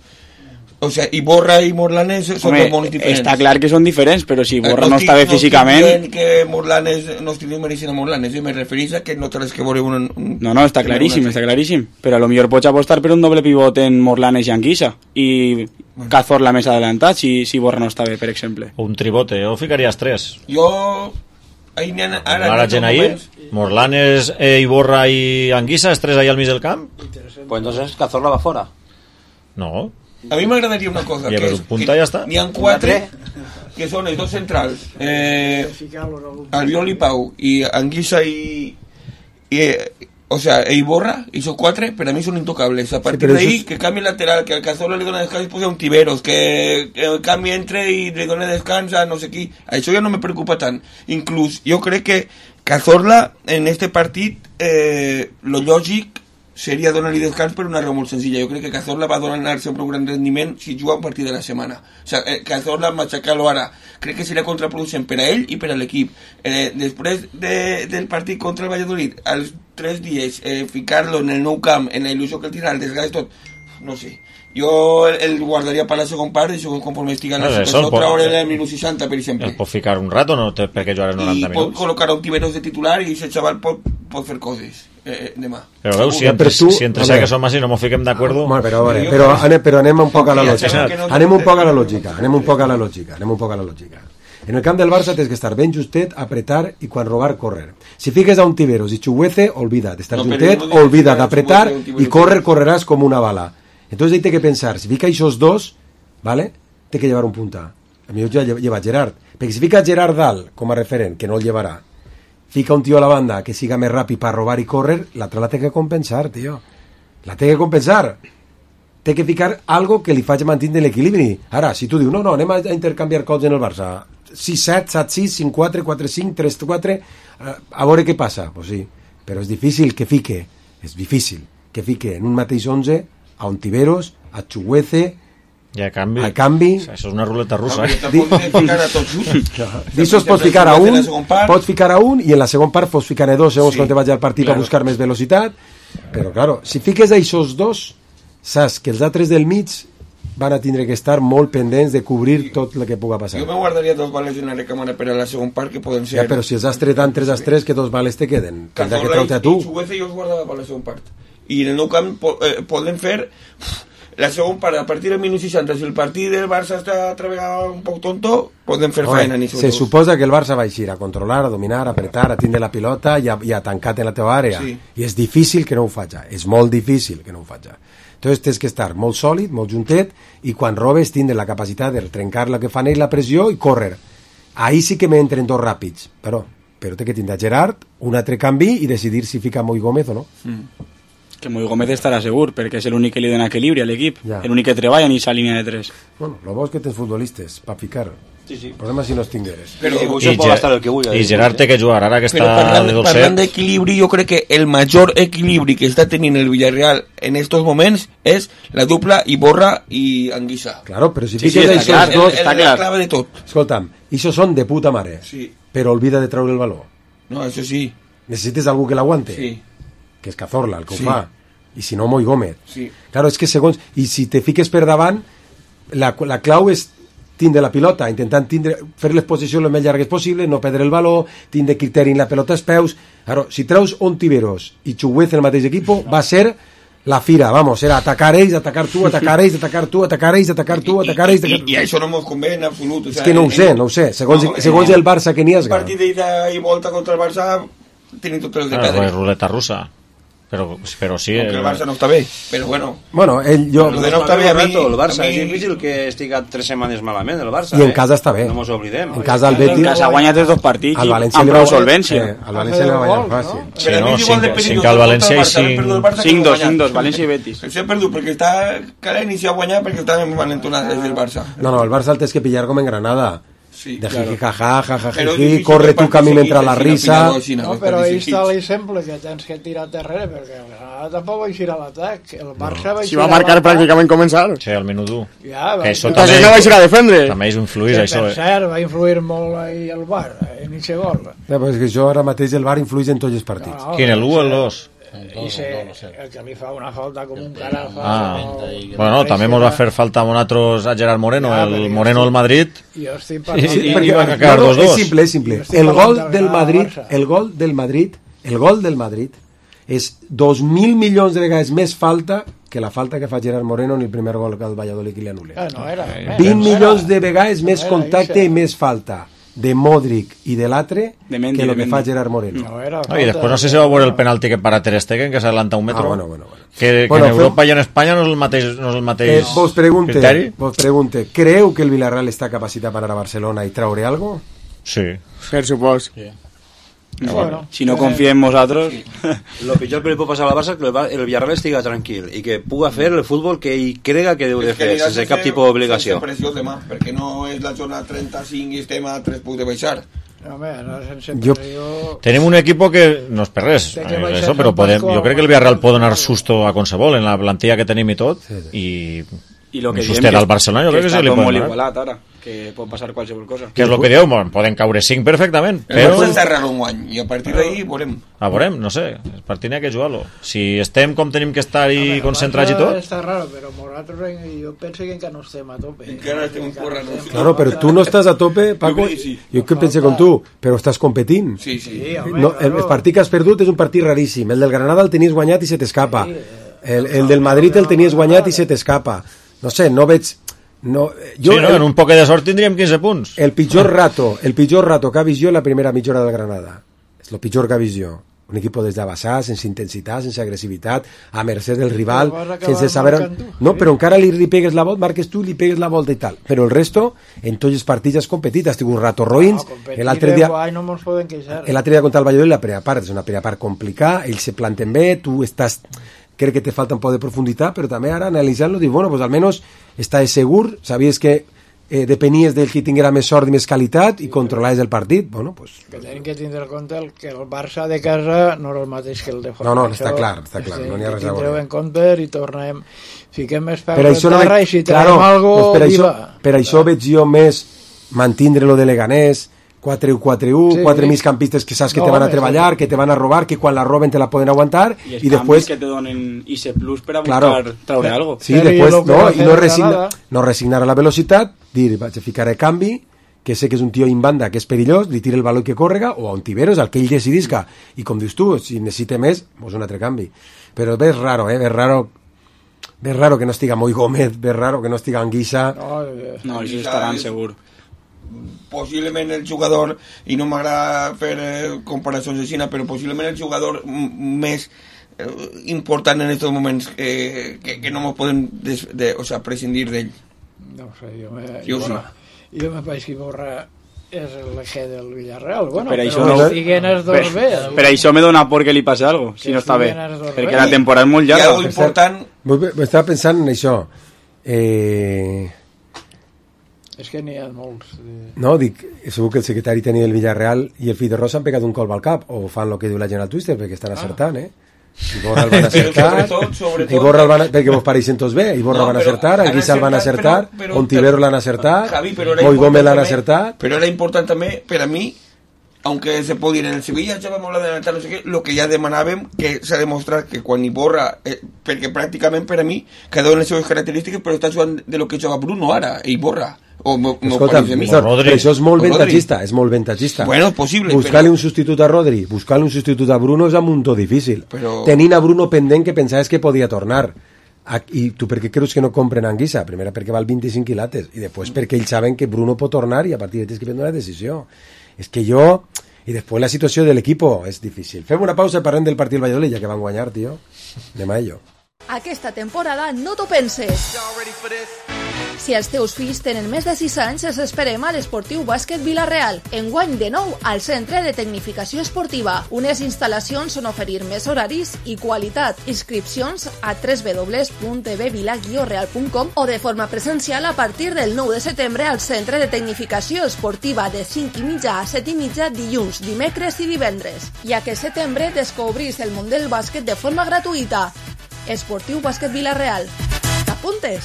O sea, Iborra i Morlanes són dos molt diferents. Està clar que són diferents, però si Iborra no està bé físicament... No que Morlanes no estigui mereixent a Morlanes, me referís a que no tens que veure un... No, està claríssim, però a lo millor pots apostar per un doble pivot en Morlanes i Anguissa i Cazorla més adelantat si Iborra no està bé, per exemple. O un tribote, jo ficaries 3. Jo... Ara gent ahí, Morlanes, Iborra i Anguissa, els 3 ahí al mig del camp. Pues entonces Cazorla va fora. No. A mi m'agradaria una cosa, que és que n'hi ha 4 que són els 2 centrals, Albiol i Pau, i Anguissa o sea, Iborra, i són 4, per a mi són intocables. A partir d'ahí, que canvi lateral, que al Cazorla li dona descans i posa un Tiberos, que el canvi entre i li dona descans a no sé qui. Això ja no me preocupa tant. Inclús, jo crec que Cazorla, en este partit, lo lògic seria donar-li descans per una raó molt senzilla. Jo crec que Cazorla va donar sempre un gran rendiment si juga un partit de la setmana. O sigui, Cazorla matxacar-lo ara crec que seria contraproducent per a ell i per a l'equip. Després del partit contra el Valladolid, als 3 dies, ficar-lo en el nou camp, en la il·lusió que el tindrà, el desgast tot, no sé. Jo el guardaria per la segon part i segon conforme estigui en la situació, traure el minut 60, per exemple. El pot ficar un rato, no? Perquè jugarà 90 minuts. I pot col·locar un Tiberos de titular i aquest xaval pot fer coses. demà. Però veus, si entre ja que som així no ens fiquem d'acord... Però anem un poc a la lògica. Anem un poc a la lògica. En el camp del Barça tens que estar ben justet, apretar i quan robar, córrer. Si fiques a un Tiberos i Chuguece, olvida d'estar justet, olvida d'apretar i correràs com una bala. Entonces hay que pensar, si fica esos dos, ¿vale? Té que llevar un punta. A mi ja lleva Gerard. Perquè si fica Gerard dalt com a referent, que no el llevarà, fica un tio a la banda que siga més ràpid per robar i córrer, l'altre la té que compensar, tio. La té que compensar. Té que ficar algo que li faci mantenir l'equilibri. Ara, si tu dius, no, anem a intercanviar cops en el Barça, 6-7, 7-6, 5-4, 4-5, 3-4, a veure què passa. Pues sí, però és difícil que fique, en un mateix 11 a un Tiberos, a Chuguece, i a canvi això és una ruleta russa. D'ixos pots ficar a un i en la segon part pots ficar a dos segons quan te vaig al partit per buscar més velocitat, però claro, si fiques a aquests dos saps que els altres del mig van a tindre que estar molt pendents de cobrir tot el que puga passar. Jo me guardaria 2 bales i una recàmera per a la segon part que poden ser... Ja, però si els has tret tant 3-3 que 2 bales te queden. Cazorla i Chuguece jo els guardava per la segon part. I en el nou camp poden fer... La segunda parte, a partir del minuto 60, si el partido del Barça está un poco tonto, pueden fer faena. Se suposa que el Barça va a controlar, a dominar, a apretar, a tindre la pilota i a tancar en la teva àrea. Sí. I és difícil que no ho faci. És molt difícil que no ho faci. Entonces tens que estar molt sòlid, molt juntet, i quan robes tindre la capacitat de trencar la que fan ells, la pressió, i córrer. Ahí sí que me entren dos ràpids. Però té que tindre Gerard, un altre canvi i decidir si fica Moi Gómez o no. Que Moi Gómez estarà segur, perquè és l'únic que li dona equilibri a l'equip, l'únic que treballa en aquesta línia de 3. Bueno, lo bo és que tens futbolistes per ficar. Sí. El problema si no els tingueres. I Gerard té que jugar, ara que està de dolcet. Parlant d'equilibri, jo crec que el major equilibri que està tenint el Villarreal en estos moments és la dupla Iborra i Anguissa. Claro, però si fiques això dos... Està clar. La clave de tot. Escolta'm, això són de puta mare, però olvida de treure el valor. No, això sí. Necessites algú que l'aguante. Sí. Que és Cazorla el que ho fa, i si no Moi Gómez. Sí. Claro, és que segons, i si te fiques per davant, la clau és tindre la pilota, intentant fer les posicions el més llargues possible, no perdre el valor, tindre criteri en la pelota als peus. Claro, si treus un Tiberos i Chuguece en el mateix equip, va ser la fira, vamos, era atacar ells, atacar tu, atacar ells, atacar tu, atacar ells, atacar tu, atacar ells... I això no ens convé en absolut. És que no ho sé, segons el Barça que n'hi has... Un partit d'ida i volta contra el Barça tienen tots els de perdre. Ruleta russa. Però sí... Aunque el Barça no està bé, però bueno... Bueno, Lo de no està bé a mi... El Barça és difícil que estigui 3 setmanes malament, el Barça. I en casa està bé. No mos oblidem. En casa el Betis... En casa ha guanyat els 2 partits amb prou solvència. Al València li va guanyar fàcil. Sí, no, 5 al València i 5-2, València i Betis. S'ha perdut perquè està cada inici a guanyar perquè està envalentonat des del Barça. No, el Barça el tens que pillar com en Granada. Sí, de jiji, jajaja, corre tu camí mentre la risa. No, però ahí està l'exemple que tens que tirar darrere, perquè el Granada tampoc va eixir a l'atac. El Barça va eixir a l'atac. Si va marcar pràcticament començar. Sí, al minut 1. Ja, entonces no va eixir a defendre. També és influïs, això. Per cert, va influir molt ahí el VAR, en aquest gol. Ja, però és que això ara mateix el VAR influïs en tots els partits. Quin, el 1 o el 2? El que li fa una falta com un cara bueno, també ens va fer falta a nosaltres a Gerard Moreno, el Moreno del Madrid, i va quedar 2-2. És simple. El gol del Madrid és 2.000 milions de vegades més falta que la falta que fa Gerard Moreno en el primer gol que el Valladolid li anul·la. 20 milions de vegades més contacte i més falta de Modric i de l'altre que el que fa Gerard Moreno. I després no sé si va veure el penalti que para Ter Stegen, que s'adelanta un metro. Que en Europa i en Espanya no és el mateix criteri. Vos pregunte, creu que el Villarreal està capacitat per anar a Barcelona i traure algo? Sí. Per supòs. Bueno, si no confia en nosaltres... Lo pitjor que li pot passar a la Barça és que el Villarreal estigui tranquil i que puga fer el futbol que ell crega que deu de fer, sense cap tipus d'obligació. Demà, perquè no és la jornada 35 i estem a 3 punts de baixar. Tenim un equipo que no és per res, eso, però jo crec que el Villarreal pot donar susto a qualsevol en la plantilla que tenim i tot, i lo que sustet al Barcelona jo crec que se li pot donar. que pot passar qualsevol cosa. Que és el que dieu, poden caure 5 perfectament, però... Però és raro un any, i a partir d'ahir veurem. Veurem, no sé, el partit n'hi ha que jugar-lo. Si estem com tenim que estar i concentrats i tot... Està raro, però nosaltres jo penso que encara no estem a tope. Encara estem currant. Claro, però tu no estàs a tope, Paco, jo que penso com tu, però estàs competint. Sí. No, el partit que has perdut és un partit raríssim, el del Granada el tenies guanyat i se t'escapa, el del Madrid el tenies guanyat i se t'escapa, no sé, no veig... No, en un poc de sort tindríem 15 punts. El pitjor rato que ha vist jo en la primera mitja hora del Granada. És el pitjor que ha vist jo. Un equip des d'abaixar, sense intensitat, sense agressivitat, a mercè del rival, sense saber... No, però encara li pegues la volta, marques tu, li pegues la volta i tal. Però el resto, en tots els partits has competit, has tingut un rato roïns. L'altre dia contra el Valladolid, la primera part és una primera part complicada, ells se planten bé, tu estàs... Crec que te falta un poc de profunditat, però també ara analitzant-lo, dic, bueno, pues almenys estàs segur, sabies que depenies del qui tinguera més sort i més qualitat i controlaves el partit, bueno, pues... Que tenim que tindre en compte que el Barça de casa no és el mateix que el de fora. No, està clar, no n'hi ha res a veure. Tindreu en compte i tornem, fiquem més peus a terra i si tenim algo, viva. Per això veig jo més mantindre lo de Leganés, 4-1, 4 migcampistes que saps que te van a treballar, que te van a robar, que quan la roben te la poden aguantar i després que te donen ese plus per a buscar traure algo. Sí, després no resignar a la velocitat, dir, vaig a ficar el canvi, que sé que és un tio in banda, que és perillós, li tira el baló que córrega, o a un Tiberos, al que ell decidisca, i com dius tu, si necessita més, pues un altre canvi. Però és raro, és raro que no estiga Moi Gómez, és raro que no estiga Anguissa. No, ells estaran segur. Possiblement el jugador, i no m'agrada fer comparacions així, però possiblement el jugador més important en aquests moments que no ens podem prescindir d'ell. No sé, jo me vaig que Borra és l'eje del Villarreal. Bueno, per això me dona por que li passi alguna cosa, si no està bé, perquè la temporada és molt llarga. Hi ha algo important... Estava pensant en això. És que n'hi ha molts. No, dic, segur que el secretari tenia el Villarreal i el fill de Rosa han pegat un colp al cap, o fan el que diu la gent al Twitter, perquè estan acertant, I Borra el van acertar, i Borra el van perquè vos pareixen tots bé, i Borra van acertar, Anguissa el van acertar, Ontivero l'han acertat, Moi Gómez l'han acertat. Però era important també, per a mi, aunque se puede ir en el Sevilla, ya vamos a adelantar, no sé qué, lo que ya demanàvem, que s'ha demostrat que quan Iborra, perquè pràcticament per a mi, cada una de les seves característiques, però està jugant de lo que juga Bruno ara, Iborra. Escolta, això és molt ventatgista, Bueno, possible. Buscar-li un substitut a Rodri, buscar-li un substitut a Bruno és un muntó difícil. Tenint a Bruno pendent que pensaves que podia tornar. I tu per què creus que no compren Anguissa? Primera perquè val 25 quilates i després perquè ells saben que Bruno pot tornar i a partir de tens que prendre una decisió. És que jo... I després la situació de l'equip és difícil. Fem una pausa i parlem del partit del Valladolid, ja que van guanyar, tio. Anem a ello. Aquesta temporada no t'ho penses. Si els teus fills tenen més de 6 anys, els esperem a l'Esportiu Bàsquet Vila-real. Enguany de nou al Centre de Tecnificació Esportiva. Unes instal·lacions on oferir més horaris i qualitat. Inscripcions a www.tvvila-real.com o de forma presencial a partir del 9 de setembre al Centre de Tecnificació Esportiva de 5:30 a 7:30 dilluns, dimecres i divendres. I aquest setembre descobrís el món del bàsquet de forma gratuïta. Esportiu Bàsquet Vila-real. T'apuntes?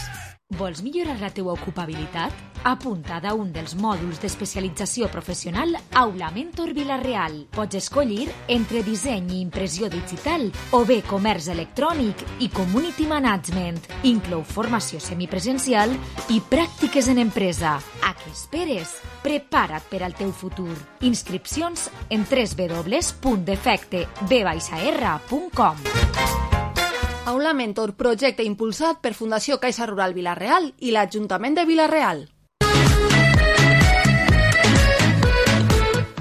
Vols millorar la teua ocupabilitat? Apuntada a un dels mòduls d'especialització professional Aula Mentor Vila-real. Pots escollir entre disseny i impressió digital o bé comerç electrònic i community management. Inclou formació semipresencial i pràctiques en empresa. A què esperes? Prepara't per al teu futur. Inscripcions en www.defecteb-r.com. Aula Mentor, projecte impulsat per Fundació Caixa Rural Vila-real i l'Ajuntament de Vila-real.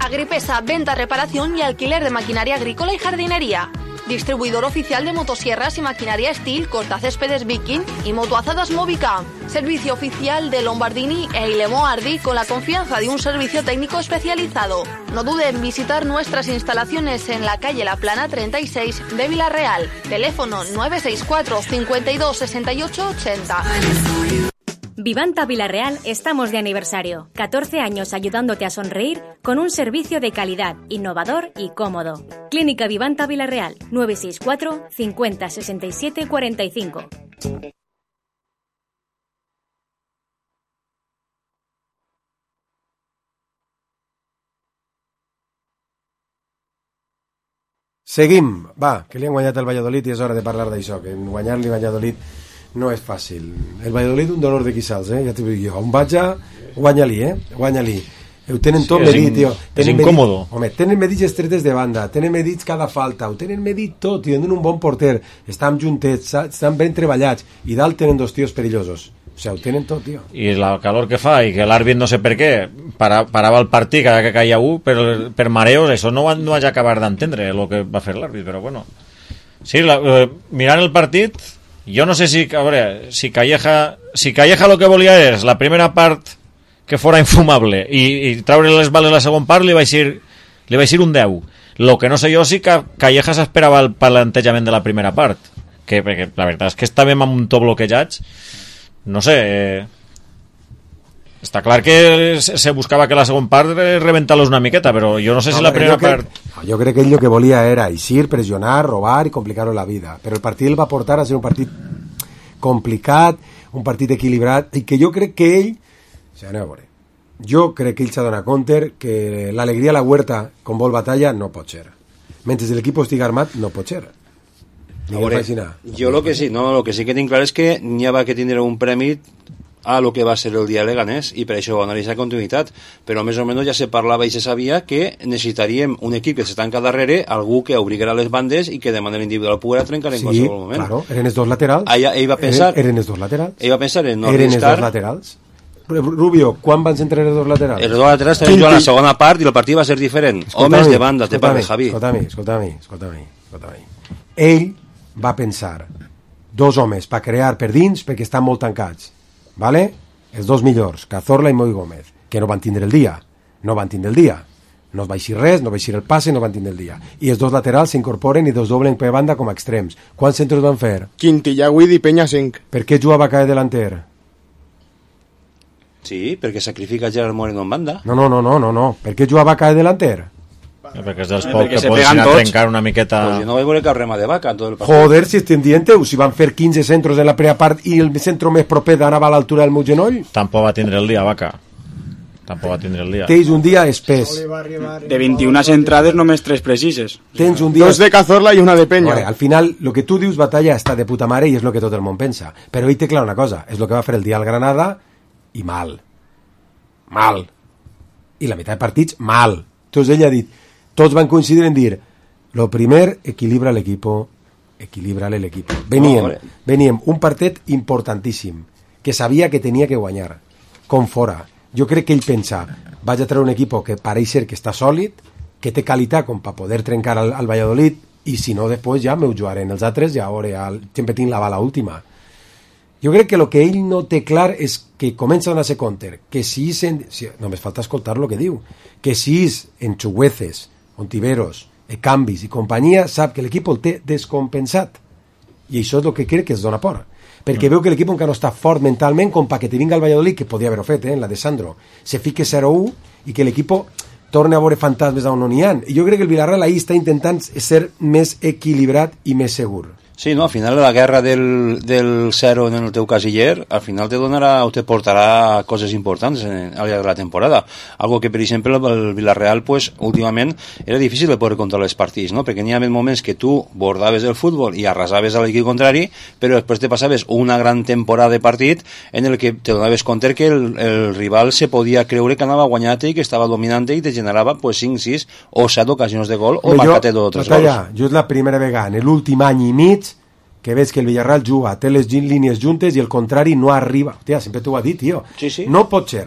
Agripesa, venta, reparación y alquiler de maquinaria agrícola y jardinería. Distribuidor oficial de motosierras y maquinaria Steel, cortacéspedes Viking y motoazadas Movica. Servicio oficial de Lombardini e Ilemo Ardi con la confianza de un servicio técnico especializado. No dude en visitar nuestras instalaciones en la calle La Plana 36 de Vila-real. Teléfono 964 52 68 80. Vivanta Vila-real estamos de aniversario. 14 años ayudándote a sonreír con un servicio de calidad, innovador y cómodo. Clínica Vivanta Vila-real, 964 50 67 45. Seguim, va, que li han guanyat el Valladolid i és hora de parlar d'això, que guanyar-li Valladolid no és fàcil. El Valladolid un dolor de quissals, ja t'ho dic jo. On vaig a, guanya-li, guanya-li. Ho tenen tot medit, tio. És incòmodo. Home, tenen medits estretes de banda, tenen medits cada falta, ho tenen medit tot, i tenen un bon porter, estan juntets, estan ben treballats, i dalt tenen dos tios perillosos. O sigui, ho tenen tot, tio. I la calor que fa, i que l'àrbit no sé per què parava el partit cada que caia un per mareos, això no vaig acabar d'entendre el que va fer l'àrbit, però bueno. Sí, mirant el partit, jo no sé si, a veure, si Calleja lo que volia és la primera part que fora infumable i traure les bales la segona part li vaig dir un 10. Lo que no sé jo si Calleja s'esperava el plantejament de la primera part, perquè la veritat és que estàvem amb un to bloquejats, no sé, està clar que se buscava que la segona part reventar-los una miqueta, però jo no sé si la primera part... Jo crec que ell el que volia era eixir, pressionar, robar i complicar-ho la vida, però el partit el va portar a ser un partit complicat, un partit equilibrat, i que jo crec que ell... O sigui, anem a veure. Jo crec que ell s'ha donat compte que l'alegria a la huerta con vol batalla no pot ser. Mentre l'equip estigui armat, no pot ser. Veure, jo lo que sí que tinc clar és que n'hi ha que tindre un premi a lo que va ser el dia de Leganés i per això va anar a continuïtat, però més o menys ja se parlava i se sabia que necessitaríem un equip que s'estanca darrere, algú que obriguera les bandes i que de manera individual poguera trencar en qualsevol moment. Sí, claro, eren els dos laterals. Ell va pensar... Eren els dos laterals. Ell va pensar en no eren arriscar... els dos laterals. Rubio, quan van entrar els dos laterals? Els dos laterals estaven jugant a la segona part i el partit va ser diferent. Homes de banda, de part de Javi. Escolta-me. Ell va pensar dos homes per crear per dins perquè estan molt tancats, vale? Els dos millors, Cazorla i Moi Gómez, que no van tindre el dia, no es va eixir res, no va eixir el passe, no van tindre el dia, i els dos laterals s'incorporen i dos doblen per banda com a extrems. Quants centres van fer? Quintillà, Guidi i Peña 5. Per què jugava Cae delanter? Sí, perquè sacrifica Gerard Moreno en banda. No. Per què jugava Cae delanter? Perquè és dels pocs que pots anar a trencar una miqueta... Pues jo no vaig veure cap rema de vaca en tot el partit. Joder, si estem dient-ho, si van fer 15 centros en la primera part i el centre més proper anava a l'altura del meu genoll. Tampoc va tindre el dia, vaca. Tens un dia espès. De 21 entrades només 3 precises. Tens un dia... 2 de Cazorla i una de Peña. Vale, al final, lo que tu dius, Batalla, està de puta mare i és lo que tot el món pensa. Però ell té clar una cosa, és lo que va fer el dia al Granada i mal. I la meitat de partits, mal. Entonces ell ha dit, tots van coincidir en dir, lo primer, equilibra l'equipo. Veníem un partit importantíssim, que sabia que tenia que guanyar, com fora. Jo crec que ell pensa, vaig a treure un equip que pareix ser que està sòlid, que té qualitat com per poder trencar al Valladolid, i si no, després ja m'ho jugaré en els altres, ja veure, sempre tinc la bala última. Jo crec que el que ell no té clar és que comença a donar-se compte, que si només falta escoltar el que diu, que si és en Chugueces, Ontiveros, Canvis i companyia, sap que l'equip el té descompensat. I això és el que crec que es dona por. Perquè veu que l'equip encara no està fort mentalment com perquè te vinga el Valladolid, que podia haver-ho fet, en la de Sandro, se fique 0-1 i que l'equip torna a veure fantasmes on no n'hi ha. I jo crec que el Villarreal ahí està intentant ser més equilibrat i més segur. Sí, no, al final la guerra del 0 en el teu casiller, al final te donarà o te portarà coses importants al llarg de la temporada. Algo que, per exemple, el Villarreal, pues, últimament, era difícil de poder controlar els partits, no? Perquè n'hi havia moments que tu bordaves el futbol i arrasaves a l'equip contrari, però després te passaves una gran temporada de partit en el que te donaves compte que el rival se podia creure que anava guanyat i que estava dominant i te generava, pues, 5, 6 o 7 ocasions de gol o marcar-te 2 o 3 gols. Jo és la primera vegada en l'últim any i mig que veig que el Villarreal juga, té les línies juntes i el contrari no arriba. Hòstia, sempre t'ho ha dit, tio. Sí. No pot ser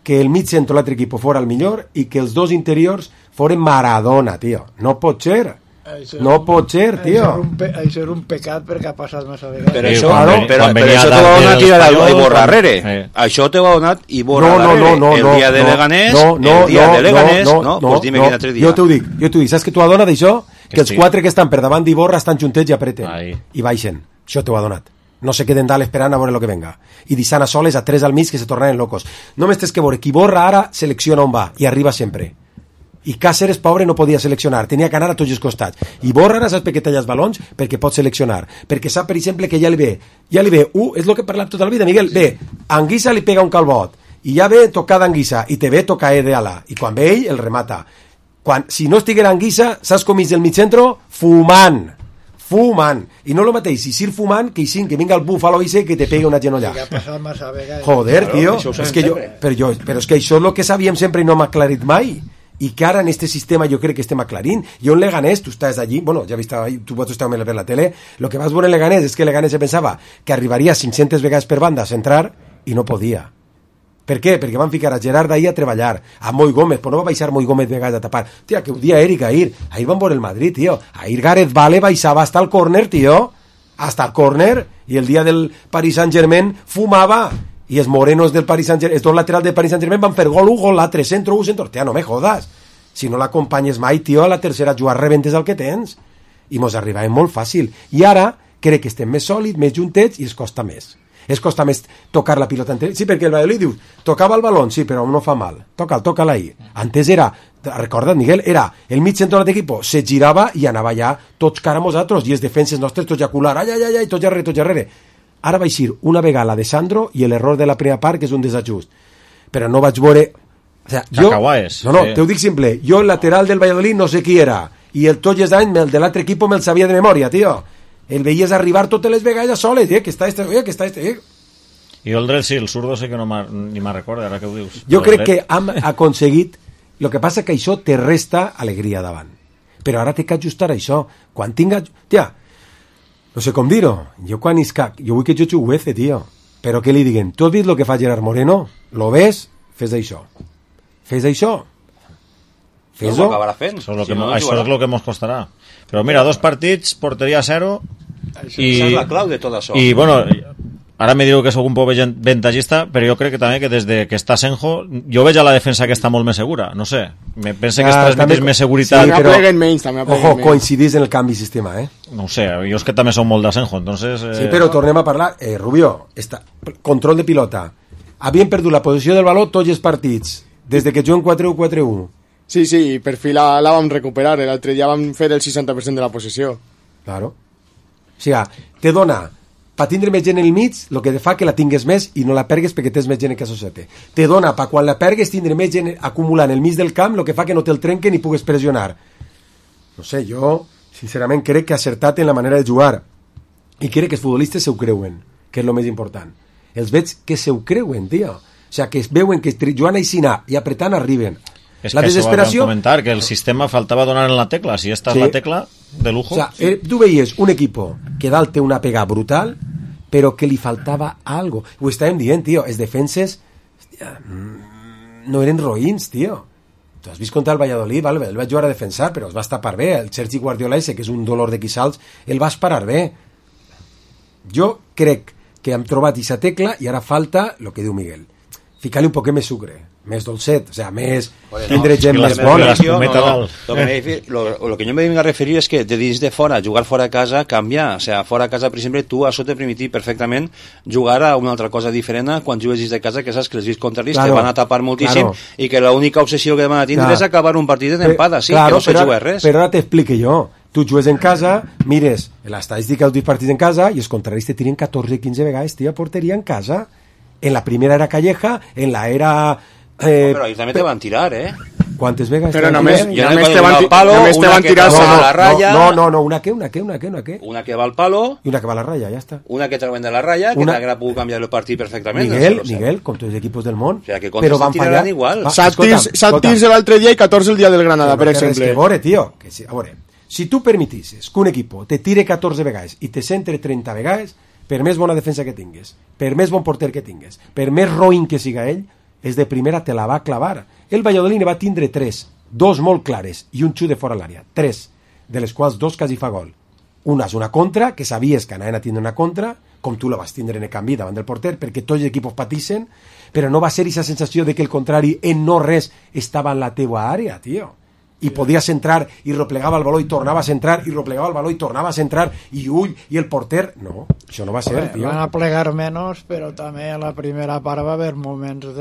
que el mig centre l'altre equip fora el millor i que els dos interiors foren Maradona, tio. No pot ser. Tio. Això és un pecat perquè ha passat massa vegades. Però això te va donar tirar a Iborra darrere. Això te va donar Iborra darrere. El dia de Leganés, no, pues dime quin altre dia. Jo t'ho dic. Saps que t'ho ha donat això? Que els 4 que estan per davant d'Iborra estan juntets i apreten. I baixen. Això t'ho ha donat. No se queden dalt esperant a veure el que venga. I deixant a soles a 3 al mig que se tornaran locos. Només tens que veure que Iborra ara selecciona on va i arriba sempre. I Cáceres, pobre, no podia seleccionar, tenia que anar a tots els costats. Iborra ara saps per què talla els balons? Perquè pot seleccionar. Perquè sap, per exemple, que ja li ve, és el que he parlat tota la vida, Miguel, ve, Anguissa li pega un calbot, i ja ve tocada Anguissa, i te ve tocar de ala, i quan ve ell, el remata. si no estiguera Anguissa, saps com és el mitjentro? Fumant. I no lo mateix, si sir fumant, que vinga el búfalo ese que te pegue una genollada. Joder, tio, però és que això és el que sabíem sempre i no m'ha aclarit mai. I que ara en este sistema jo crec que estem aclarint. Jo en Leganés, tu estàs allí, bueno, ja vist, tu pots estar a ver la tele, lo que vas veure en Leganés és que Leganés se pensava que arribaria 500 vegades per banda a centrar i no podia. Per què? Perquè van ficar a Gerard ahí a treballar, a Moi Gómez, però no va baixar Moi Gómez vegades a tapar. Tia, que un dia Eric ahir van veure el Madrid, tio. Ahir Gareth Bale baixava hasta el córner, tio. Hasta el córner. I el dia del Paris Saint-Germain fumava. I els morenos del Paris Saint-Germain, els dos laterals del Paris Saint-Germain van fer gol, l'altre centro. Tia, no me jodas. Si no l'acompanyes mai, tio, a la tercera jugar rebentes el que tens. I mos arribàvem molt fàcil. I ara crec que estem més sòlids, més juntets i es costa més. Es costa més tocar la pilota. Sí, perquè el Valladolid diu, tocava el balón, sí, però no fa mal. Toca'l ahí. Antes era, recorda't, Miguel, era el mig centre de l'equip, se girava i anava ja tots cara a nosaltres, i els defenses nostres tots jacular, ai, tots darrere. Ara vaig ir una vegada la de Sandro i l'error de la primera part, que és un desajust. Però no vaig veure... O sea, no, te ho dic simple. Jo el lateral del Valladolid no sé qui era, i el tots els anys el de l'altre equip me'l sabia de memòria, tio. El veies arribar totes les vegades soles, que està este. I el dret, sí, el zurdo sé que ni me'n recorda, ara que ho dius. Jo crec que hem aconseguit... El que passa que això te resta alegria davant. Però ara té que ajustar això. Quan tinga... Tia, no sé com dir-ho. Jo vull que jo juguece, tio. Però què li diguen? Tu has vist el que fa Gerard Moreno? Lo ves? Fes això. Fes-ho. No ho acabarà fent. Això és el que ens costarà. Però mira, 2 partits, porteria 0 i... Esa és la clau de tot això. I bueno, ara me diu que sóc un poc ventajista, però jo crec que també que des de que està Senjo, jo veig a la defensa que està molt més segura, no sé, me pensa que es transmeteix més seguretat. Sí, però, ojo, coincidís en el canvi de sistema, No ho sé, jo és que també som molt de Senjo, entonces... Sí, però tornem a parlar, Rubio, control de pilota. Havien perdut la posició del baló tots els partits, des de que juguen 4-1-4-1. Sí, per fi la vam recuperar. L'altre dia vam fer el 60% de la possessió. Claro. O sigui, te dona, per tindre més gent en el mig, el que fa que la tingues més i no la pergues perquè tens més gent que associate. Te dona, per quan la pergues, tindre més gent acumulant el mig del camp, el que fa que no te'l trenquen i pugues pressionar. No sé, jo, sincerament, crec que ha acertat en la manera de jugar. I crec que els futbolistes se ho creuen, que és el més important. Els veig que se ho creuen, tio. O sigui, que es veuen que jugant així i apretant arriben. És la que desesperació... comentar, que el sistema faltava donar en la tecla. Si esta és la tecla, de lujo. O sea, tu veies un equipo que dalt té una pega brutal, però que li faltava algo. Ho estàvem dient, tio, els defenses hòstia, no eren roïns, tio. Tu has vist contra el Valladolid, vale, el vaig jugar a defensar, però es va tapar bé. El Sergi Guardiola ese, que és un dolor de quissals, el vas parar bé. Jo crec que hem trobat aquesta tecla i ara falta el que diu Miguel. Ficar-li un poquet més sucre, més dolcet, o sea, més tindre gent més bona. Lo que yo me vengo a referir es que de dins de fora, jugar fora de casa canvia, o sea, fora de casa, per exemple, tu això te permetir perfectament jugar a una altra cosa diferent quan jugues dins de casa, que saps que els vist contraris te van a tapar moltíssim i que l'única obsessió que van a tindre és acabar un partit d'empada, sí, que no se juga res. Però ara t'explique jo. Tu jugues en casa, mires l'estadística dels partits en casa i els contraris te tiren 14-15 vegades, tio, porteria en casa. En la primera era Calleja, en la era... però ahí també te van tirar, ¿Cuántas vegas? Pero només te van tirar a la raya. No, una que. Una que va al palo. Y una que va a la raya, ya está. Una que trauen de la raya, que la pudo cambiar el partit perfectament. Miguel, con todos los equipos del món. O sea, que però van fallar igual. 7 tirs l'altre dia i 14 el dia del Granada, per exemple. Que veure, tio, a veure, si tu permetisses que un equipo te tire 14 vegades i te centre 30 vegades, per més bona defensa que tingues, per més bon porter que tingues, per més roïn que siga ell, és de primera te la va clavar. El Valladolid va tindre 3, 2 molt clares i un xut de fora l'àrea, 3, de les quals 2 quasi fa gol. Una és una contra, que sabies que anaven a tindre una contra, com tu la vas tindre en el canvi davant del porter, perquè tots els equips patissen, però no va ser aquesta sensació de que el contrari en no res estava en la teua àrea, tio. I podies entrar i replegava el baló i tornava a centrar i replegava el baló i tornava a centrar i el porter, no, això no va ser, tio. Van a plegar menys, però també a la primera part va haver moments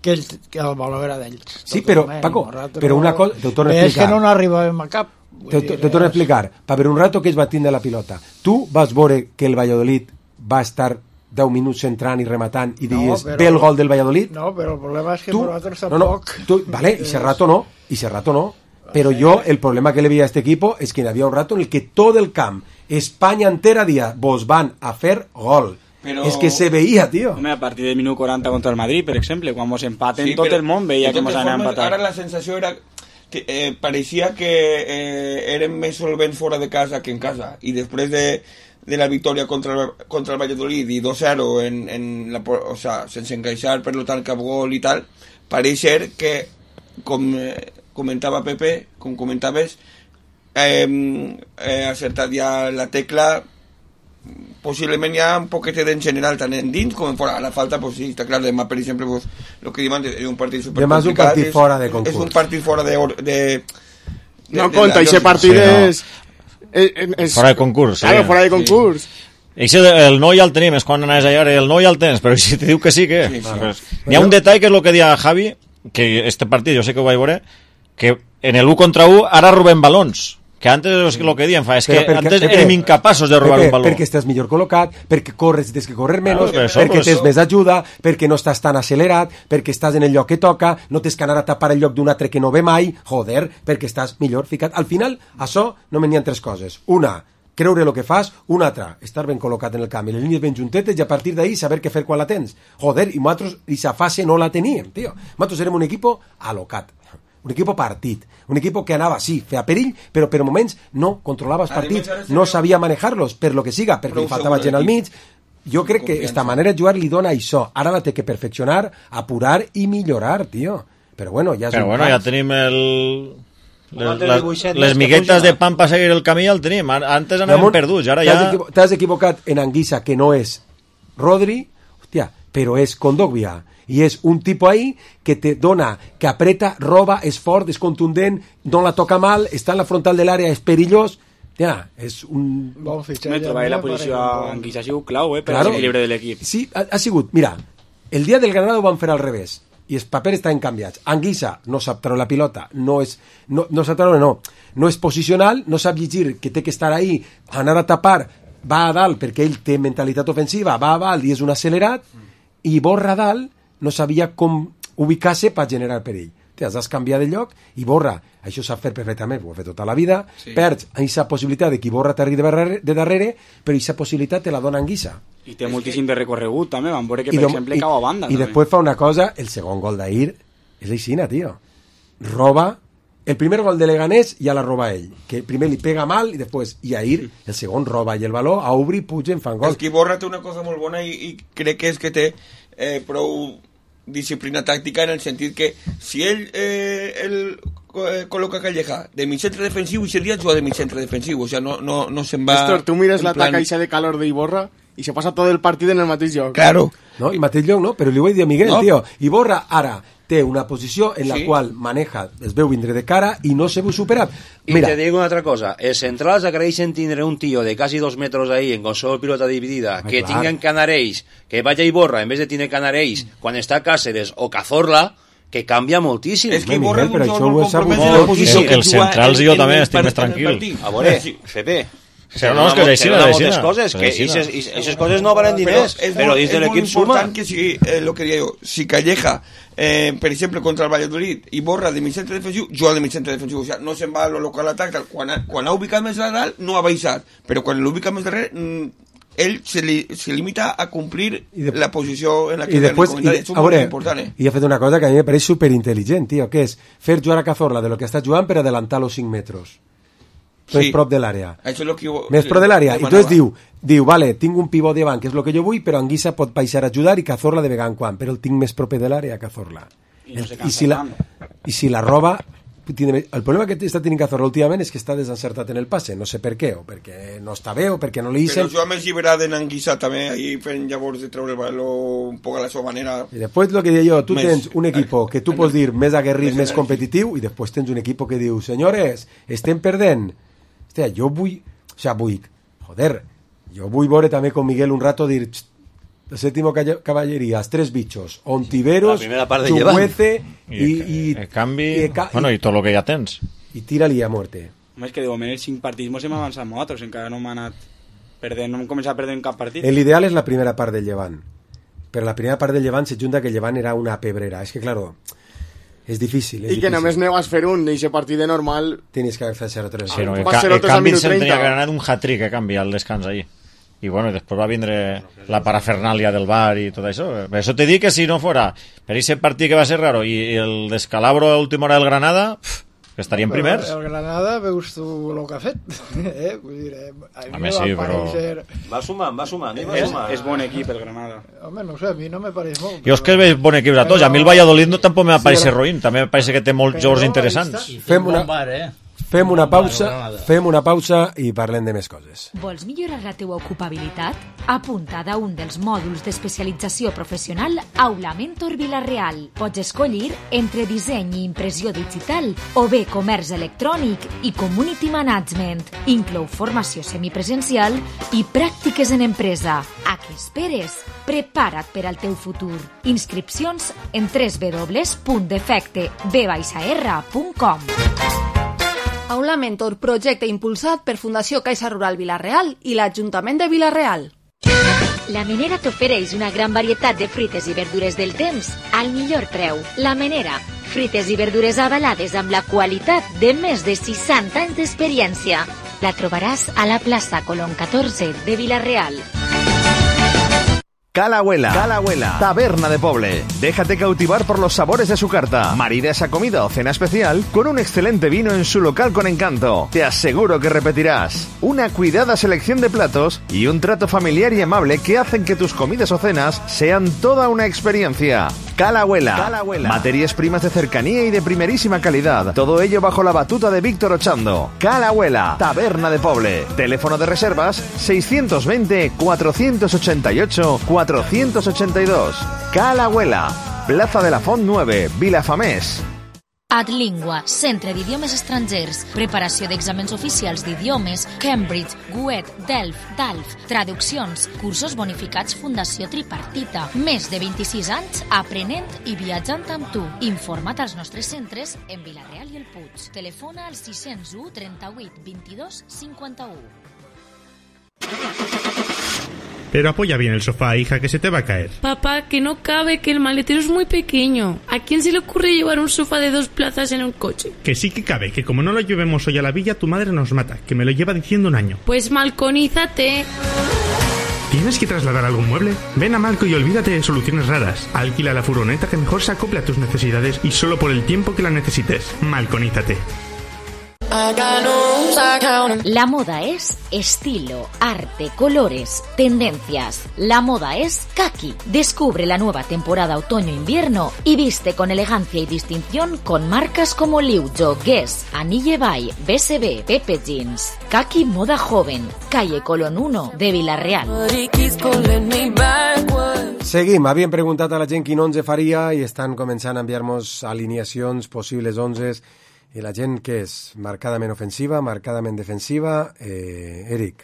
que el baló era d'ells. Sí, però, Paco, però una cosa, t'ho torno a explicar. És que no n'arribàvem a cap. Te torno a explicar, per un rato que es va tindre la pilota. Tu vas veure que el Valladolid va estar 10 minuts centrant i rematant i dius, ve el gol del Valladolid? No, però el problema és que nosaltres tampoc... Vale, i ese rato no. y ese rato no. Pero yo, el problema que le veía a este equipo es que había un rato en el que todo el camp, España entera, dia, vos van a fer gol. Però... És que se veia, tio. Home, a partir del minut 40 contra el Madrid, per exemple, quan mos empaten, sí, tot el món veia que mos anava a empatar. Ara la sensació era que pareixia que eren més solvents fora de casa que en casa, i després de la victòria contra el Valladolid i 2-0 o sea, sense encaixar, per lo tant, cap gol i tal, pareix ser que, com comentava Pepe, com comentaves, ha acertat ja la tecla. Posiblement hi ha un poquete en general tant en dins com en fora. A la falta, pues sí, està clar, demà per exemple, pues, lo que diuen és un partit supercomplicat. Demà és un partit fora de concurs. És un partit fora de no compta, aquest partit és... Fora de concurs. Claro, fora de concurs. Sí. El no ja el tenim, és quan anaves allà, el no ja el tens, però si te diu que sí, què? Sí, sí. Pues, hi ha un detall que és el que deia Javi, que este partit, jo sé que ho vaig veure, que en el 1 contra 1 ara robem balons. Que antes és el que diem fa, és que antes érem incapaços de robar un baló. Perquè estàs millor col·locat, perquè corres, tens que correr menys, perquè tens més ajuda, perquè no estàs tan accelerat, perquè estàs en el lloc que toca, no tens que anar a tapar el lloc d'un altre que no ve mai, joder, perquè estàs millor ficat. Al final, això no me n'hi ha tres coses. Una, creure el que fas, una altra, estar ben col·locat en el camp, i les línies ben juntetes, i a partir d'ahí saber què fer quan la tens. Joder, i nosaltres, aquesta fase no la teníem, tio. Nosaltres érem un equipo alocat. Un equipo partit, un equipo que anava, sí, feia perill, però per moments no controlava els partits, no sabia manejar-los, per lo que siga, perquè li faltava gent al mig. Jo crec que esta manera de jugar li dona això. Ara la té que perfeccionar, apurar i millorar, tio. Però bueno, ja és però bueno, ja tenim les miguetes de pan per seguir el camí, ja el tenim. Antes anàvem perduts, ara ja... T'has equivocat en Anguissa, que no és Rodri, hòstia, però és Kondogbia. I és un tipus ahí que te dona, que apreta, roba, és fort, és contundent, no la toca mal, està en la frontal de l'àrea, és perillós. Ja, és un... Me trobaré la posició a Anguissa, ha sigut clau, per l'equilibri de l'equip. Sí, ha sigut, mira, el dia del Granada ho van fer al revés, i els papers estan canviats. Anguissa no sap treure la pilota, no sap treure, no és posicional, no sap llegir que té que estar ahí, anar a tapar, va a dalt, perquè ell té mentalitat ofensiva, va a dalt i és un accelerat, i Borra a dalt, no sabia com ubicar-se per generar perill. Has canviat de lloc i Borra, això s'ha fet perfectament, ho ha fet tota la vida, sí. Perds aquesta possibilitat de que Borra t'arribi de darrere, però aquesta possibilitat te la dona Anguissa. I té moltíssim de recorregut, també, van veure que, per exemple, cau a banda. I després fa una cosa, el segon gol d'ahir és aixina, tio. Roba, el primer gol de Leganés ja la roba ell, que primer li pega mal i després, i ahir, el segon roba i el baló, a obrir, pugen, fan gol. És que Borra té una cosa molt bona i crec que és que té prou disciplina tàctica en el sentit que si ell col·loca Calleja de mig centre defensiu i seria jugar de mig centre defensiu, o sea, no se'n va... Néstor, tu mires l'atac aixa de calor d'Iborra i se passa tot el partit en el mateix lloc. Claro. No, i mateix lloc, no? Però li ho he dit a Miguel, tio. Iborra ara té una posició en la qual maneja, es veu vindre de cara i no se veu superat. Mira. I te digo una altra cosa, els centrals agraeixen tindre un tio de quasi 2 metres ahí en qualsevol pilota dividida, que tinguen Canarells, que vaya Iborra en vez de tindre Canarells quan està Cáceres o Cazorla, que canvia moltíssim. És que Iborra però això ho és molt... Que els centrals i jo també estic més tranquil. A veure, Pepe... No, és que és així, coses, que aquestes coses no valen diners, però dins de l'equip suma. És molt important que si, lo que digo, si Calleja, per exemple, contra el Valladolid, i Borra de mig centre defensiu, juga de mig centre defensiu, o sea, no se'n va a lo local atac, quan ha ubicat més a dalt, no ha baixat, però quan l'ubica més darrere, ell se limita a complir la posició en la que és molt important. I ha fet una cosa que a mi me pareix superintel·ligent, tio, que és fer jugar a Cazorla de lo que està jugant per adelantar los 5 metres. Més prop de l'àrea. Més prop de l'àrea. I entonces diu, vale, tinc un pivot davant, que és el que jo vull, però Anguissa pot baixar a ajudar i Cazorla de vegada en quan, però el tinc més proper de l'àrea a Cazorla. I si la roba... El problema que està tenint Cazorla últimament és que està desencertat en el passe, no sé per què, o perquè no està bé, o perquè no li deixen... Però jo més lliberat en Anguissa també, ahí fent llavors de treure el baló un poc a la seva manera... I després el que deia jo, tu tens un equip que tu pots dir més aguerrit, més competitiu, i després tens un equip que diu, senyores, estem perdent... Hòstia, jo vull veure també con Miguel un rato dir el séptimo caballería, els 3 bichos, Ontiveros, Chukwueze i canvi, bueno, i tot el que ja tens i tira-li a muerte. Home, és que de moment els 5 partits mos hem avançat nosaltres, encara no hem anat perdent, no hem començat a perdre en cap partit. L'ideal és la primera part del Llevant, però la primera part del Llevant se junta que el Llevant era una pebrera, és que claro, És difícil. I que només ne vas fer un, i aquest partit de normal... Tienes que haver fet 0-3. Sí, no, el canvi se'n tenia que anar un hat-trick a canviar el descans ahí. I bueno, després va vindre la parafernàlia del bar i tot això. Per això te dic que si no fora per aquest partit que va ser raro i el descalabro a última hora del Granada, que estaríem primers. El Granada, veus tu el que ha fet? Vull dir, a mi sí, però... Va sumant. És bon equip el Granada. Home, no sé, a mi no me pareix molt. Jo és que veig bon equip a tots. A mi el Valladolid no tampoc me pareix ruïn. També me pareix que té molts jocs interessants. Fem una pausa i parlem de més coses. Vols millorar la teua ocupabilitat? Apunta a un dels mòduls d'especialització professional Aula Mentor Vila-real. Pots escollir entre disseny i impressió digital o bé comerç electrònic i community management. Inclou formació semipresencial i pràctiques en empresa. A què esperes? Prepara't per al teu futur. Inscripcions en www.defecteb-r.com. Aula Mentor, projecte impulsat per Fundació Caixa Rural Vila-real i l'Ajuntament de Vila-real. La Menera t'ofereix una gran varietat de fruites i verdures del temps al millor preu. La Menera, fruites i verdures avalades amb la qualitat de més de 60 anys d'experiència. La trobaràs a la plaça Colón 14 de Vila-real. Cala-Huela, taberna de Poble. Déjate cautivar por los sabores de su carta. Marida esa comida o cena especial con un excelente vino en su local con encanto. Te aseguro que repetirás. Una cuidada selección de platos y un trato familiar y amable que hacen que tus comidas o cenas sean toda una experiencia. Cala-Huela. Materias primas de cercanía y de primerísima calidad. Todo ello bajo la batuta de Víctor Ochando. Cala-Huela, taberna de Poble. Teléfono de reservas 620 488 482. Cala-Huela, Plaza de la Font 9, Vilafamés. Adlingua, centre d'idiomes estrangers, preparació d'exàmens oficials d'idiomes, Cambridge, GUET, DALF, traduccions, cursos bonificats Fundació Tripartita. Més de 26 anys aprenent i viatjant amb tu. Informa't als nostres centres en Vila-real i el Puig. Telefona al 601 38 22 51. Pero apoya bien el sofá, hija, que se te va a caer. Papá, que no cabe, que el maletero es muy pequeño. ¿A quién se le ocurre llevar un sofá de 2 plazas en un coche? Que sí que cabe, que como no lo llevemos hoy a la villa, tu madre nos mata, que me lo lleva diciendo un año. Pues malconízate. ¿Tienes que trasladar algún mueble? Ven a Malco y olvídate de soluciones raras. Alquila la furgoneta que mejor se acople a tus necesidades y solo por el tiempo que la necesites. Malconízate. La moda es estilo, arte, colores, tendencias. La moda es Kaki. Descubre la nueva temporada otoño-invierno y viste con elegancia y distinción con marcas como Liujo, Guess, Anille Bay, BSB, Pepe Jeans. Kaki Moda Joven, calle Colón 1 de Vila-real. Seguim, havíem preguntat a la gent quin 11 faria i estan començant a enviar-nos alineacions, possibles 11s. I la gent què és? Marcadament ofensiva, marcadament defensiva? Eric?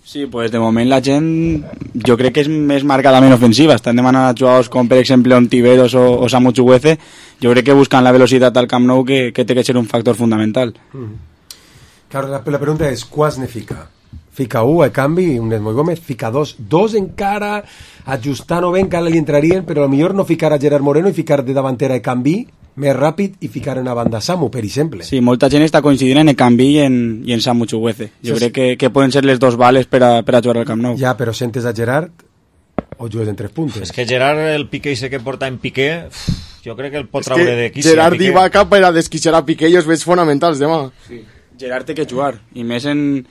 Sí, pues de moment la gent jo crec que és més marcadament ofensiva. Estan demanant a jugadors com per exemple Ontiveros o Samu Chukwueze. Jo crec que buscan la velocitat al Camp Nou que té que ser un factor fundamental. Claro, la pregunta és, quants ne fica? Fica 1 a canvi, un Moy Gómez, fica 2 encara, ajustant-ho bé encara li entrarien, però potser no ficar a Gerard Moreno i ficar de davantera a canvi més ràpid i ficar en la banda Samu, per exemple. Sí, molta gent està coincidint en Ekambi i en Samu Chukwueze. Jo crec que poden ser les dos bales per a jugar al Camp Nou. Ja, però sentes a Gerard o jugues en 3 puntes? És que Gerard, el Piqué ese que porta en Piqué, jo crec que el pot traure de quici. Gerard i Vaca per a desquixar a Piqué i els veig fonamentals demà. Sí. Gerard té que jugar, i més en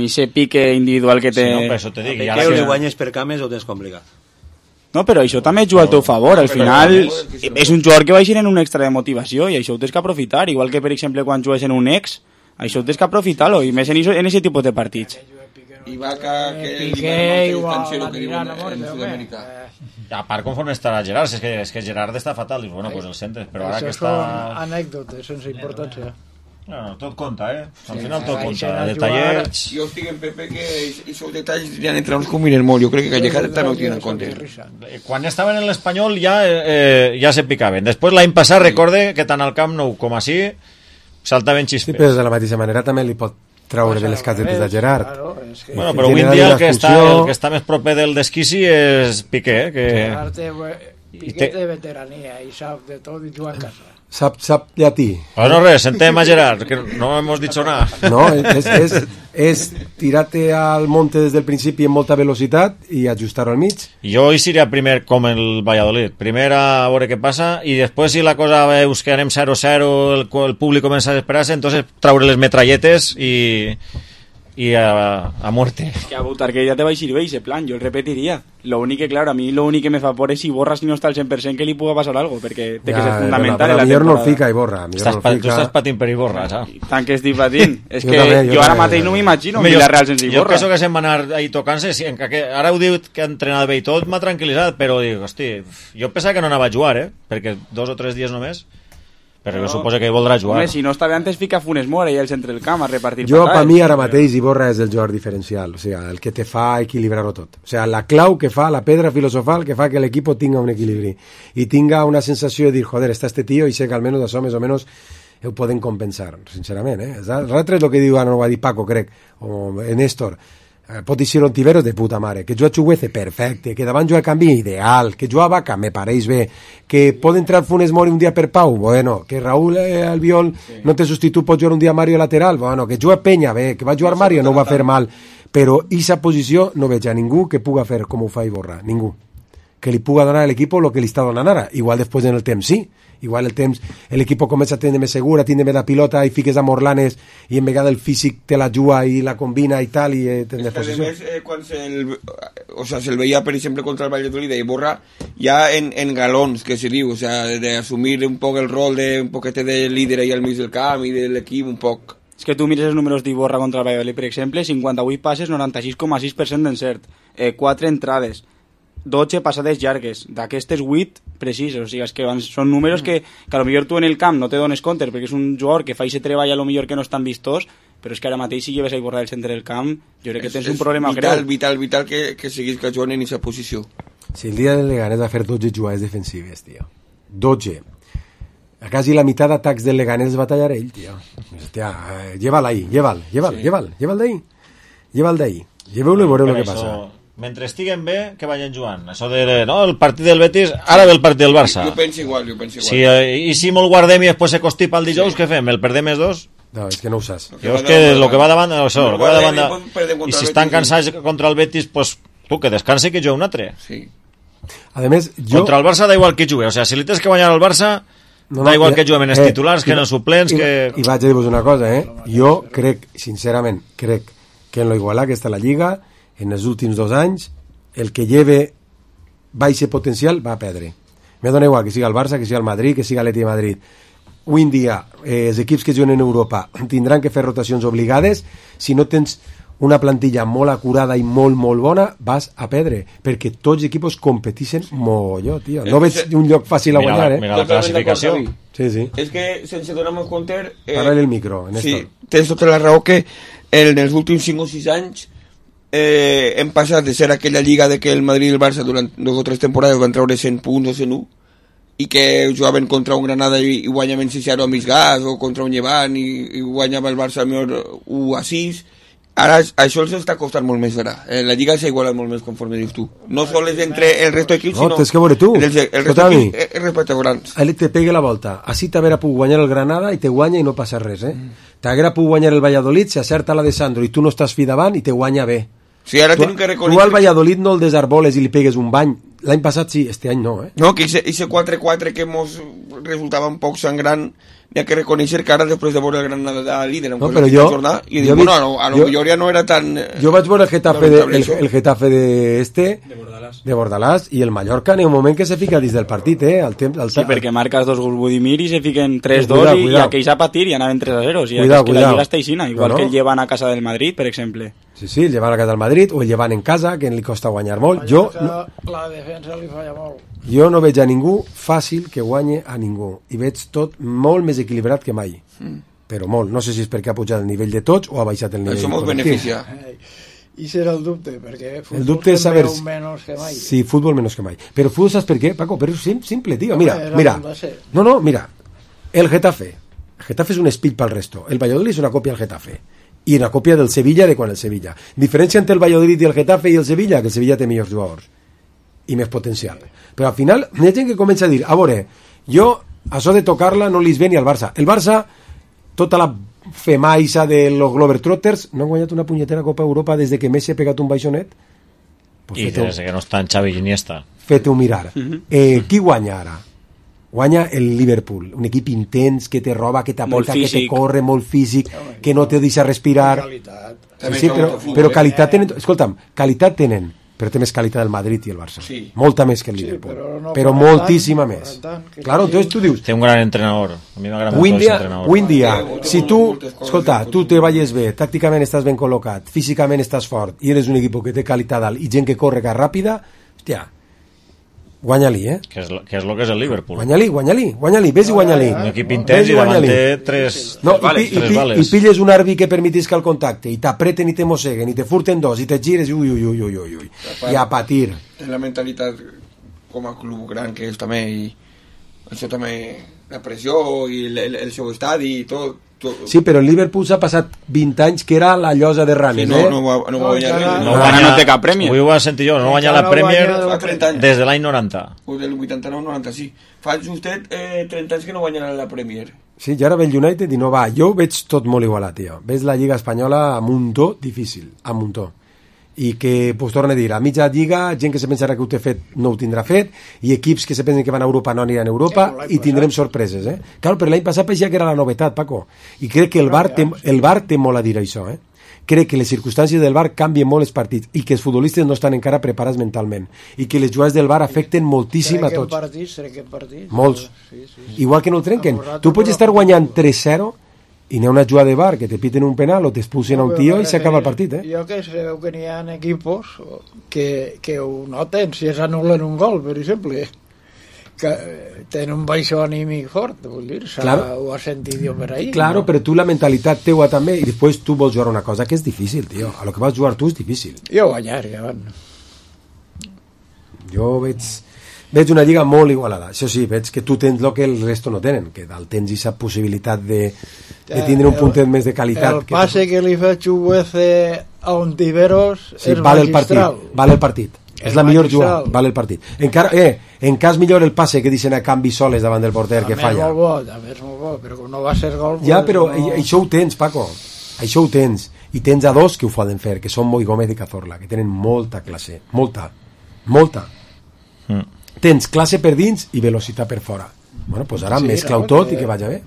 ese pique individual que té. Sí, no, per això te dic. Ja que guanyes per cames ho tens complicat. No, però això també juga al teu favor. Al final és un jugador que va eixir en un extra de motivació i això ho tens que aprofitar. Igual que, per exemple, quan jugues en un ex, això ho tens que aprofitar-lo, i més en aquest tipus de partits. I Vaca, que Piqué igual la tirana en Sud-amèrica. A part, conforme estarà Gerard, és que Gerard està fatal, i bueno, pues el centres, però ara que està... Això són anècdotes sense importància. No, tot compta, Al final tot compta. Detallets... Jo estic en Pepe que aquests detalls ja entre uns combinen molt. Jo crec que Calleja també ho tiene en compte. Quan estaven en l'Espanyol ja se picaven. Després l'any passat recorde que tant al Camp Nou com així saltaven xispes. Sí, però de la mateixa manera també li pot traure de les casetes a Gerard. Bueno, però avui en dia el que està més proper del desquici és Piqué, que... Gerard té Piqué de veterania i sap de tot i juga en casa. Sap llatí. Bueno, res, sentem a Gerard, que no hemos dicho nada. No, és tirar-te al monte des del principi en molta velocitat i ajustar-ho al mig. Jo hi seria primer com el Valladolid. Primer a veure què passa i després si la cosa veus que anem 0-0, el públic comença a desesperar-se, entonces traure les metralletes i a muerte. Es que a Butarque ya te vais a ir, veis, ese plan, yo el repetiría. Lo único que, claro, a mí lo único que me fa por es si Borra si no está al 100% que li puga pasar algo, perquè té que ser fundamental en la temporada. No el fica i Borra. Tu estàs patint per i Borra, saps? Tant que estic patint. És que jo ara mateix no m'imagino Villarreal sense Borra. Jo penso que se'n va anar ahí tocant-se, ara ho diu que ha entrenat bé i tot, m'ha tranquil·litzat, però dic, hosti, jo pensava que no anava a jugar, perquè 2 o 3 dies només. Però jo suposo que voldrà jugar. Home, si no està bé antes fica Funes Mori al centre del camp a repartir jo, per mi ara mateix Iborra és el jugador diferencial, o sea, el que te fa equilibrar-ho tot, o sea, la clau que fa, la pedra filosofal que fa que l'equip tinga un equilibri i tinga una sensació de dir, joder, està este tio i sé que almenys això més o menys ho poden compensar, sincerament, l'altre és el que diu, no ho va dir Paco, crec, o Néstor, pot ser un tibero de puta mare, que juga Chuguece perfecte, que davant juga Canvi ideal, que juga Vaca me pareix bé, que pot entrar Funes Mori un dia per Pau, bueno, que Raúl Albiol no té substitut, pot jugar un dia Mario lateral, bueno, que juga Peña bé, que va jugar Mario no ho va fer mal, però aquesta posició no veig a ningú que puga fer com ho fa Iborra, ningú que li puga donar a l'equip el que li està donant ara, igual després en el temps sí, igual el temps l'equip comença a tenir més segura, tindre més la pilota i fiques a Morlanes i en vegada el físic te la juga i la combina i tal i tens posició. Además, quan se'l veia per exemple contra el Valladolid i Borra ja en galons que se diu, o sea, de assumir un poc el rol de un poquete de líder ahí al mig del camp i de l'equip un poc. És que tu mires els números d'Iborra contra el Valladolid, per exemple, 58 passes, 96,6% d'encert, 4 entrades, 12 passades llargues, d'aquestes 8 precises, o sigui, és que són números que a lo millor tu en el camp no te dones compte perquè és un jugador que fa i se treballa a lo millor que no és tan vistós, però és que ara mateix si lleves a Iborra del centre del camp jo crec que tens un problema greu. Vital que siguis que juguen en aquesta posició. Si el dia del Leganés va fer 12 jugades defensives, tio, 12 a quasi la meitat d'atacs del Leganés els va tallar ell, tio. Hòstia, lleva-la ahí, lleva-la d'ahí, lleveu-lo i veureu el que passa. Mentre estiguen bé, que vagin jugant. Això de, no, el partit del Betis, ara ve el partit del Barça. Jo penso igual. Sí, i si molt guardem i després se constipa el dijous, què fem? El perdem els dos? No, és que no ho saps. Jo és que el que va davant, això, el que va davant i si estan cansats contra el Betis, pues tu, que descansi que jo un altre. Sí. A més, contra el Barça da igual que jugue, o sea, si li tens que guanyar al Barça, da igual que juguem en els titulars, que en els suplents, que... I vaig a dir-vos una cosa, jo crec, sincerament, que en lo igualar que està la Lliga, en els últims 2 anys, el que lleve baixe potencial va a perdre. Me dona igual que siga el Barça, que siga el Madrid, que siga l'Atlètic de Madrid. Avui en dia, els equips que juguen en Europa tindran que fer rotacions obligades. Si no tens una plantilla molt acurada i molt, molt bona, vas a perdre, perquè tots els equips competeixen molló, tio. No veig un lloc fàcil a guanyar, Mira la classificació. Sí. És que, sense donar-nos compte... Para'l el micro, Néstor. Sí, tens tota la raó que en els últims 5 o 6 anys hem passat de ser aquella lliga de que el Madrid i el Barça durant 2 o 3 temporades van treure 100 punts o 101 i que jugaven contra un Granada i guanyaven 6-0 a mig gas o contra un Llevant i guanyava el Barça millor 1-6. Ara això els està costant molt més, vera. La lliga s'ha igualat molt més conforme dius tu. No sols entre el resto d'equips, sinó... No, tens que veure tu. El resto d'equips respecte a grans. Ahí te pegue la volta. Així t'haguera pogut guanyar el Granada i te guanya i no passa res, T'haguera pogut guanyar el Valladolid, si acerta la de Sandro i tu no estàs fi davant i te guanya bé. Sí, ara tenim que reconèixer... Tu al Valladolid no el desarboles i li pegues un bany. L'any passat sí, este any no, No, que ese 4-4 que mos resultava un poc sangrant, hi ha que reconèixer que ara després de veure el Granada líder no, però jo, i dic, bueno, a lo millor ja no era tan... Jo vaig veure el Getafe de Bordalás i el Mallorca en un moment que se fica dins del partit, Sí, perquè marques 2 gols Budimir i se fiquen 3-2 i aquells a patir i anaven 3-0. O sigui, que la Lliga està aixina, igual que el llevan a casa del Madrid, per exemple. Sí, el llevan a casa del Madrid o el llevan en casa, que li costa guanyar molt. La defensa li falla molt. Jo no veig a ningú fàcil que guanye a ningú i veig tot molt més equilibrat que mai, però molt. No sé si és perquè ha pujat el nivell de tots o ha baixat el nivell. Això mos beneficia. I serà el dubte, perquè el dubte és saber menys que mai. Sí, futbol menys que mai. Però futbol saps per què, Paco? Però és simple, tio. Mira. No, mira. El Getafe és un espill pel resto. El Valladolid és una còpia del Getafe i una còpia del Sevilla de quan el Sevilla. Diferència entre el Valladolid i el Getafe i el Sevilla, que el Sevilla té millors jugadors i més potencial. Però al final hi ha gent que comença a dir, a veure, jo Això de tocar-la no li ve ni al Barça. El Barça, tota la femaixa de los Globetrotters, no han guanyat una punyetera Copa Europa des de que Messi ha pegat un baixonet. Pues i des que no està en Xavi Iniesta. Fete-ho mirar. Qui guanya ara? Guanya el Liverpool, un equip intens que te roba, que t'apreta, que te corre, molt físic, que no te deixa respirar. Sí, però qualitat tenen... Escolta'm, qualitat tenen, però té més qualitat el Madrid i el Barça. Molta més que el Liverpool. Però moltíssima més. Claro, entonces tu dius... Té un gran entrenador. A mi m'agrada molt el entrenador. Avui en dia, si tu, escolta, tu te vayas bé, tàcticament estàs ben col·locat, físicament estàs fort, i eres un equip que té qualitat alt i gent que corre ràpida, hòstia, guanya-li, que és el que és el Liverpool. Guanya-li, ves i guanya-li. Un equip intens i davant té tres vales. I pilles un àrbitre que permetisca el contacte i t'apreten i te mosseguen i te furten dos i te gires i a patir. És la mentalitat com a club gran que és també, i això també, la pressió i el seu estadi i tot. Sí, però el Liverpool s'ha passat 20 anys que era la llosa de Ranes, no va guanyar res. No té cap premi. Avui ho va sentir jo, no guanya la Premier des de l'any 90. Del 89-90, sí. Fa justet 30 anys que no guanyarà la Premier. Sí, i ara ve el United i no va. Jo ho veig tot molt igualat, tio. Ves la Lliga Espanyola a muntó difícil, a muntó. I que, pues torna a dir, a mitja lliga, gent que se pensarà que ho té fet no ho tindrà fet, i equips que se pensen que van a Europa no aniran a Europa, i tindrem sorpreses, Clar, però l'any passat paeixia que era la novetat, Paco, i crec que el VAR té molt a dir això, Crec que les circumstàncies del VAR canvien molt els partits, i que els futbolistes no estan encara preparats mentalment, i que les jugades del VAR afecten moltíssim a tots. Molts. Igual que no el trenquen. Tu pots estar guanyant 3-0 i n'hi ha una jugada de VAR que te piten un penal o t'expulsen a un tio i s'acaba el partit, Jo que sé que n'hi ha equipos que ho noten si es anulen un gol, per exemple, que tenen un baixó anímic fort, vull dir, ho has sentit jo per ahí. Claro, però tu la mentalitat teua també, i després tu vols jugar una cosa que és difícil, tio, a lo que vas jugar tu és difícil. Jo guanyar, Jo veig una lliga molt igualada. Això sí, veig que tu tens el que el resto no tenen, que dalt tens aquesta possibilitat de tindre un puntet més de qualitat. El passe que li fa Chuguece a Ontiveros és magistral. Vale el partit. És la millor jugada, vale el partit. Encara, en cas millor el passe que deixen a canvi soles davant del porter que falla. També és molt bo, però no va ser gol. Ja, però això ho tens, Paco. Això ho tens. I tens a dos que ho poden fer, que són Moi Gómez i Cazorla, que tenen molta classe. Molta. Tens classe per dins i velocitat per fora. Bueno, doncs ara mesclau tot i que vagi bé.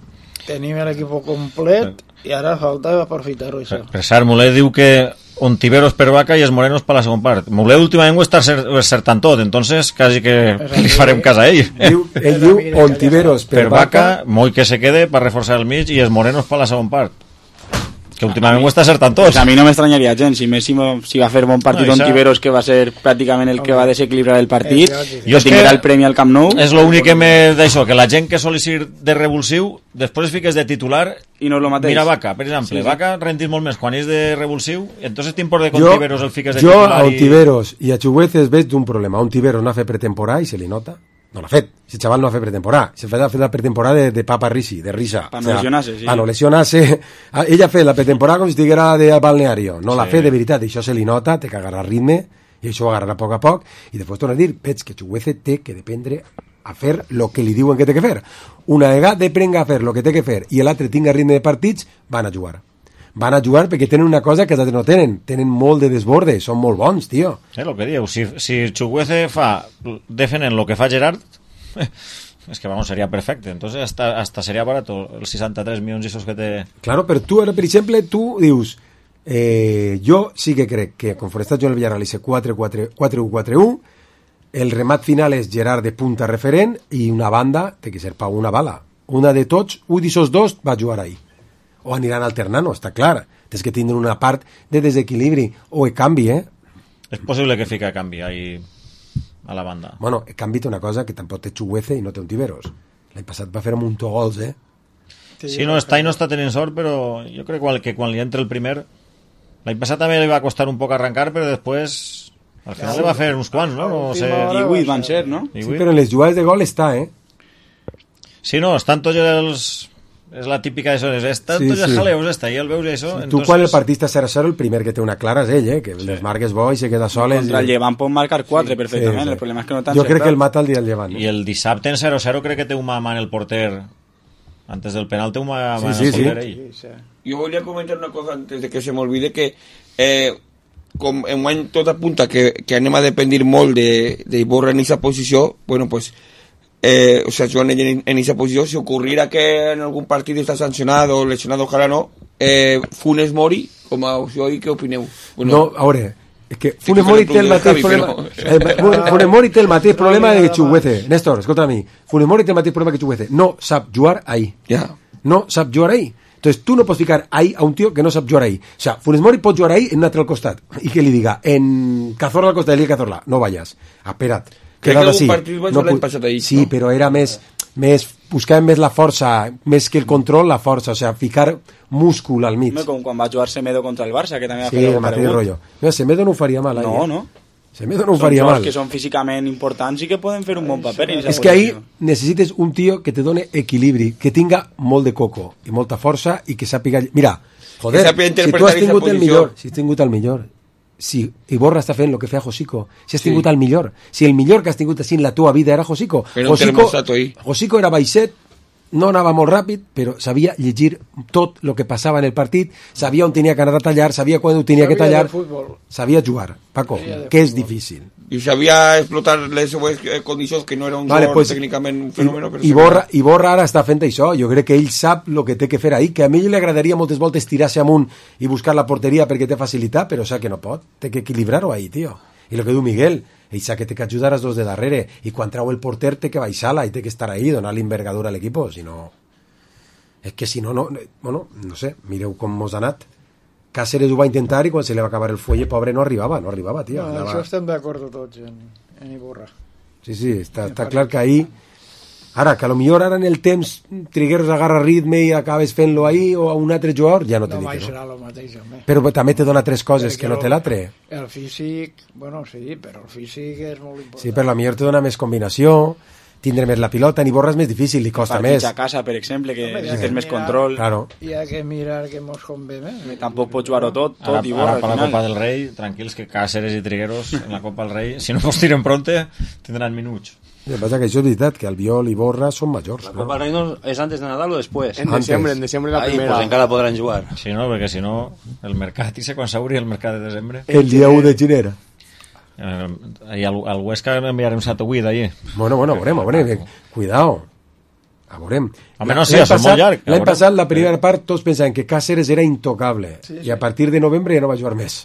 Tenim l'equip complet i ara falta aprofitar-ho, això. Per cert, Mulet diu que Ontiveros per Vaca i els Morenos per la segona part. Mulet últimament ho està acertant tot, entonces quasi que li farem cas a ell. Ell diu Ontiveros per Vaca, Moi que se quede per reforçar el mig i els Morenos per la segona part. Que últimament ho està acertant tots. Pues a mi no m'estranyaria gens si Messi si va fer bon partit Ontiveros, que va ser pràcticament el que va desequilibrar el partit, jo tindrà el premi al Camp Nou. És l'únic que m'he d'això, que la gent que sol ser de revulsiu després fiques de titular i no és el mateix. Mira Vaca, per exemple, Vaca rendís molt més quan és de revulsiu, entonces t'import de que Ontiveros el fiques de titular. Jo a Ontiveros i a Chugueces veig d'un problema. Ontiveros no ha fet pretemporada i se li nota. No l'ha fet, si el xaval no ha fet pretemporada, se ha fet la pretemporada de papa risi, de risa. Para no lesionarse, sí. Para no lesionarse. Ella ha fet la pretemporada com si estiguera de balneario, no l'ha fet de veritat, i això se li nota, té que agarrar ritme, i això ho agarrarà a poc a poc, i després torna a dir, veig que Chuguece té que dependre a fer el que li diuen que té que fer. Una vegada prenga a fer el que té que fer i l'altre tinga ritme de partits, van a jugar perquè tenen una cosa que els altres no tenen molt de desborde, són molt bons, tio. El que diu, si Chuguece fa defenent el que fa Gerard, es que vamos, sería perfecte, entonces hasta sería barato els 63 milions esos que té. Claro, però tu, per exemple, tu dius jo sí que crec que conforme està jugant el Villarreal i 4-1-4-1, el remat final és Gerard de punta referent i una banda té que ser per una bala, una de tots, un d'aquests dos va jugar ahí. O aniran alternant, està clar. Tens que tindre una part de desequilibri o canvi, És possible que fica canvi ahí a la banda. Bueno, canvi té una cosa que tampoc té Chuguece i no té Ontiveros. L'any passat va fer un muntó gols, Sí, no està tenint sort, però jo crec que quan li entra el primer, l'any passat també li va costar un poc arrencar, però després al final li va fer uns quants, no? No sé. I 8 van ser, no? Sí, però en les jugades de gol està, Sí, no, estan tots és la típica de eso, és tantos jaleos, i el veus això. Tu quan el partit està 0-0, el primer que té una clara és ell, que les marques bo i se queda sol. Contra el Llevant pot marcar 4 perfectament, el problema és que no tan jo crec que el mata el dia del Llevant. I el dissabte en 0-0 crec que té una mà en el porter, antes del penal té una mà en el porter ell. Jo volia comentar una cosa antes de que se m'olvide, que com en any tot apunta que anem a dependre molt d'Iborra en aquesta posició, bueno, pues o sea, jugant en esa posició, si ocurriera que en algun partit està sancionat o lesionat, ojalà no, Funes Mori, com a opció, i què opineu? Bueno, no, a veure, és que Funes Mori té el mateix problema. Funes Mori té el mateix problema que Chukwueze. Néstor, escolta a mi. Funes Mori té el mateix problema que Chukwueze. No sap jugar ahí. No sap jugar ahí. Entonces tú no pots ficar ahí a un tío que no sap jugar ahí. O sea, Funes Mori pot jugar ahí en un altre al costat. I que li diga, en Cazorla al costat de Cazorla, no vayas. Espera't. Crec que algun partit vaig l'any passat ahí. Sí, però era més buscàvem més la força, més que el control, la força, o sea, ficar múscul al mig. Com quan va jugar Semedo contra el Barça, que també va fer el mateix rotllo. No, Semedo no ho faria mal. No. Semedo no ho faria mal. Són que són físicament importants i que poden fer un bon paper. És que ahí necessites un tio que te done equilibri, que tinga molt de coco i molta força i que sàpiga... Mira, joder, si tu has tingut el millor, si Iborra està fent el que feia Josico, si has tingut el millor, si el millor que has tingut així en la tua vida era Josico. Josico era baixet, no anava molt ràpid, però sabia llegir tot el que passava en el partit, sabia on tenia que anar a tallar, sabia quan ho tenia que tallar, sabia jugar, Paco, que és difícil. I sabia explotar les seues condicions, que no era un jugador tècnicament un fenomen. Iborra ara està fent això, jo crec que ell sap el que té que fer ahí, que a mi li agradaria moltes voltes tirar-se amunt i buscar la porteria perquè té facilitat, però sap que no pot, té que equilibrar-ho ahí, tio. I el que diu Miguel, ell sap que té que ajudar als dos de darrere, i quan trau el porter té que baixar-la i té que estar ahí, donar-li envergadura a l'equip, si no... És que si no, bueno, no sé, mireu com mos ha anat. Cáceres ho va intentar i quan se li va acabar el fuelle, pobre, no arribava, tio. No, això estem d'acord tots en Iborra. Sí, està clar que ahí... Ara, que potser ara en el temps Trigueros agarra ritme i acabes fent-lo ahí o a un altre jugador, ja no te dic, no? No serà el mateix, home. Però també te dona tres coses que no té l'altre. El físic, bueno, sí, però el físic és molt important. Sí, però potser te dona més combinació, tindre més la pilota, en Iborra és més difícil, li costa més. A casa, per exemple, que tens més control. Claro. Hi ha que mirar que mos convé més. Tampoc pots jugar-ho tot Ara Iborra, per la Copa del Rei, tranquils, que Cáceres i Trigueros en la Copa del Rei, si no pots tirar en pronte, tindran minuts. El que pasa que això és veritat, que Albiol i Borra són majors. La Copa del Rei no és antes de Nadal o després? En desembre la primera. Pues encara podran jugar. Sí, no, perquè si no, el mercat, i sé quan s'obri el mercat de desembre. El dia 1 de gener. I al Huesca enviarem 7 o 8 allí. Bueno, veurem. Cuidao. A veurem. Home, no sé, és molt llarg. L'any passat, la primera part, tots pensaven que Cáceres era intocable. I a partir de novembre ja no va jugar més.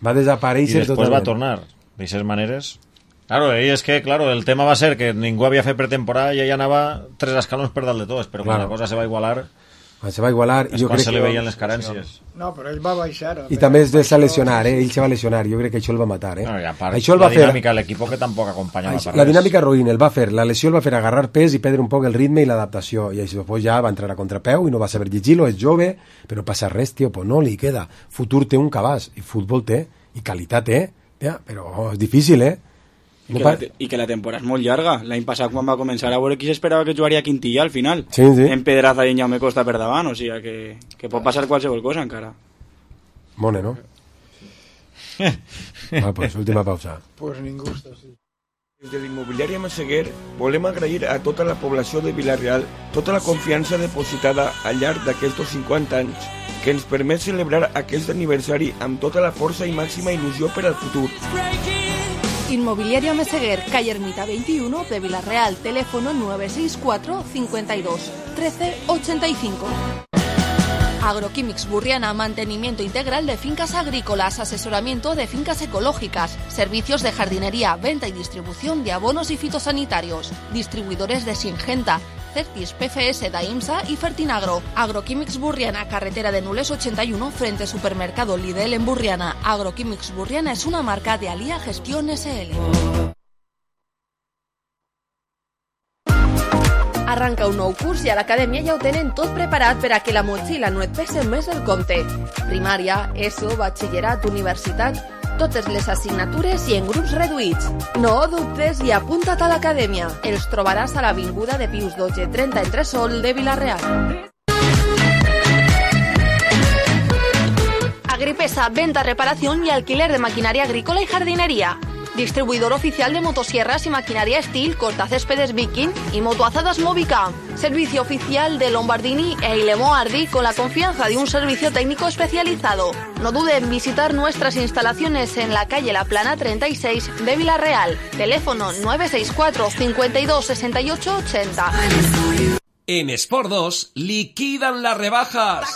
Va desaparèixer totalment. I després va tornar. D'aixes maneres... Claro, y es que, claro, el tema va a ser que ningú havia fet pretemporada i ella anava 3 escalons per dalt de tots, però quan la cosa se va igualar... Quan se va igualar... És quan se li veien les carències. No, però ell va baixar. I també es va lesionar, ell se va lesionar, jo crec que això el va matar, No, i a part, això la dinàmica de l'equip que tampoc acompanyava per res. La dinàmica ruïn, el va fer, la lesió el va fer agarrar pes i perdre un poc el ritme i l'adaptació, i després ja va entrar a contrapeu i no va saber llegir-lo, és jove, però passa res, tio, pues no li queda. Futur té un cabàs, i futbol té, i qualitat té, però és difícil, I que la temporada és molt llarga. L'any passat quan va començar a veure qui s'esperava que jugaria Quintilla al final, sí. En Pedraza i en Jaume Costa per davant, o sigui que pot passar qualsevol cosa encara. Mone, no? Pues última pausa. Pues ningú està així. Des de l'Immobiliària Massaguer volem agrair a tota la població de Vila-real tota la confiança depositada al llarg d'aquests 50 anys que ens permet celebrar aquest aniversari amb tota la força i màxima il·lusió per al futur. Inmobiliaria Meseguer, calle Ermita 21 de Villarreal, teléfono 964 52 13 85. Agroquímics Burriana, mantenimiento integral de fincas agrícolas, asesoramiento de fincas ecológicas, servicios de jardinería, venta y distribución de abonos y fitosanitarios, distribuidores de Singenta, Certis, PFS, Daimsa y Fertinagro. Agroquímics Burriana, carretera de Nules 81, frente supermercado Lidl en Burriana. Agroquímics Burriana es una marca de Alía Gestión SL. Arranca un nou curs i a l'acadèmia ja ho tenen tot preparat per a que la motxilla no et pese més el compte. Primària, ESO, batxillerat, universitat, totes les assignatures i en grups reduïts. No dubtes i apunta't a l'acadèmia. Els trobaràs a l'avinguda de Pius XII 30 entre Sol de Vila-real. Agripesa, venta, reparación y alquiler de maquinaria agrícola y jardinería. Distribuidor oficial de motosierras y maquinaria Steel, cortacéspedes Viking y motoazadas Movica. Servicio oficial de Lombardini e Ilemo Ardi con la confianza de un servicio técnico especializado. No dude en visitar nuestras instalaciones en la calle La Plana 36 de Villarreal. Teléfono 964 52 68 80. En Sport 2 liquidan las rebajas.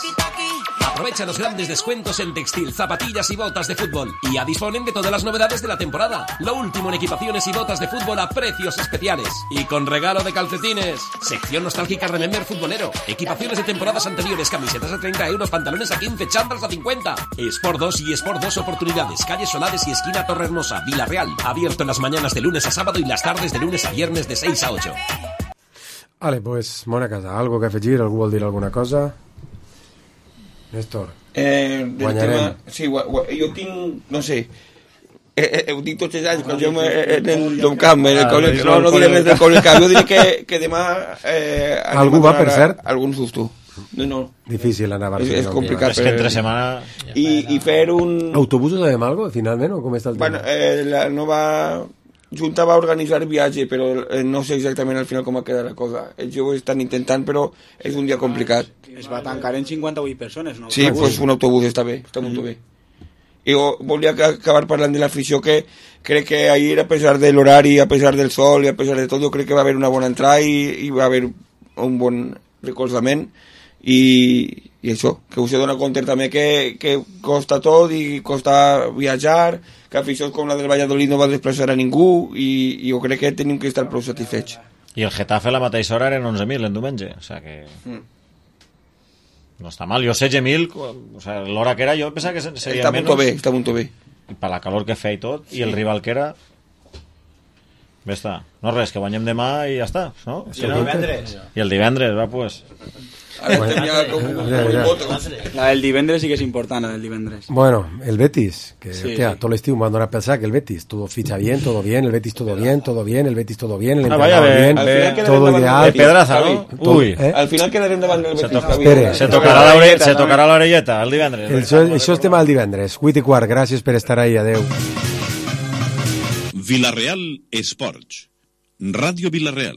Aprovecha los grandes descuentos en textil, zapatillas y botas de fútbol. Y ya disponen de todas las novedades de la temporada. Lo último en equipaciones y botas de fútbol a precios especiales. Y con regalo de calcetines. Sección nostálgica Remember futbolero. Equipaciones de temporadas anteriores, camisetas a 30 euros, pantalones a 15, chándals a 50. Sport 2 y Sport 2 Oportunidades. Calle Solares y esquina Torrehermosa, Villarreal. Abierto en las mañanas de lunes a sábado y las tardes de lunes a viernes de 6 a 8. Vale, pues, bona casa. Algo que afegir? Algú vol dir alguna cosa? Néstor, guanyarem. Sí, jo tinc, no sé, heu dit tots els anys quan jo en el camp, no diré res del Collecamp, jo diré que demà algú va, per cert? Algun susto. No. Difícil anar a Barcelona. És complicat. És que entre setmana... I fer un... Autobusos sabem algo, finalment, o com està el tema? Bueno, la nova Junta va organitzar viatge, però no sé exactament al final com va quedar la cosa. Els joves estan intentant, però és un dia complicat. Es va tancar en 58 persones, no? Sí, pues un autobús està bé, està molt bé. I volia acabar parlant de l'afició, que crec que ahir, a pesar de l'horari, a pesar del sol i a pesar de tot, jo crec que va haver una bona entrada i va haver un bon recolzament i això, que us he donat compte també que costa tot i costa viatjar, que aficions com la del Valladolid no va desplaçar a ningú i jo crec que tenim que estar prou satisfets. I el Getafe a la mateixa hora eren 11.000 en diumenge, o sea que... No està mal, jo 16.000, o sea, l'hora que era jo pensava que seria menys. Està molt bé. I per la calor que feia i tot, i el rival que era... Bé està. No res, que guanyem demà i ja està, no? I el divendres. I el divendres, va, pues... La del divendres sí que és important, la del divendres. Bueno, el Betis, que sí. Todo l'estiu m'han donat a pensar que el Betis, todo ficha bien, todo bien, el Betis todo bien, el Betis todo bien, el entrenador bien, todo ideal. Pedraza, ¿no? Uy. Al final quedarem davant del Betis. Se tocarà l'orelleta el divendres. Això és tema del divendres. 8:15, gràcies per estar ahí, adeu. Villarreal Esports. Ràdio Villarreal.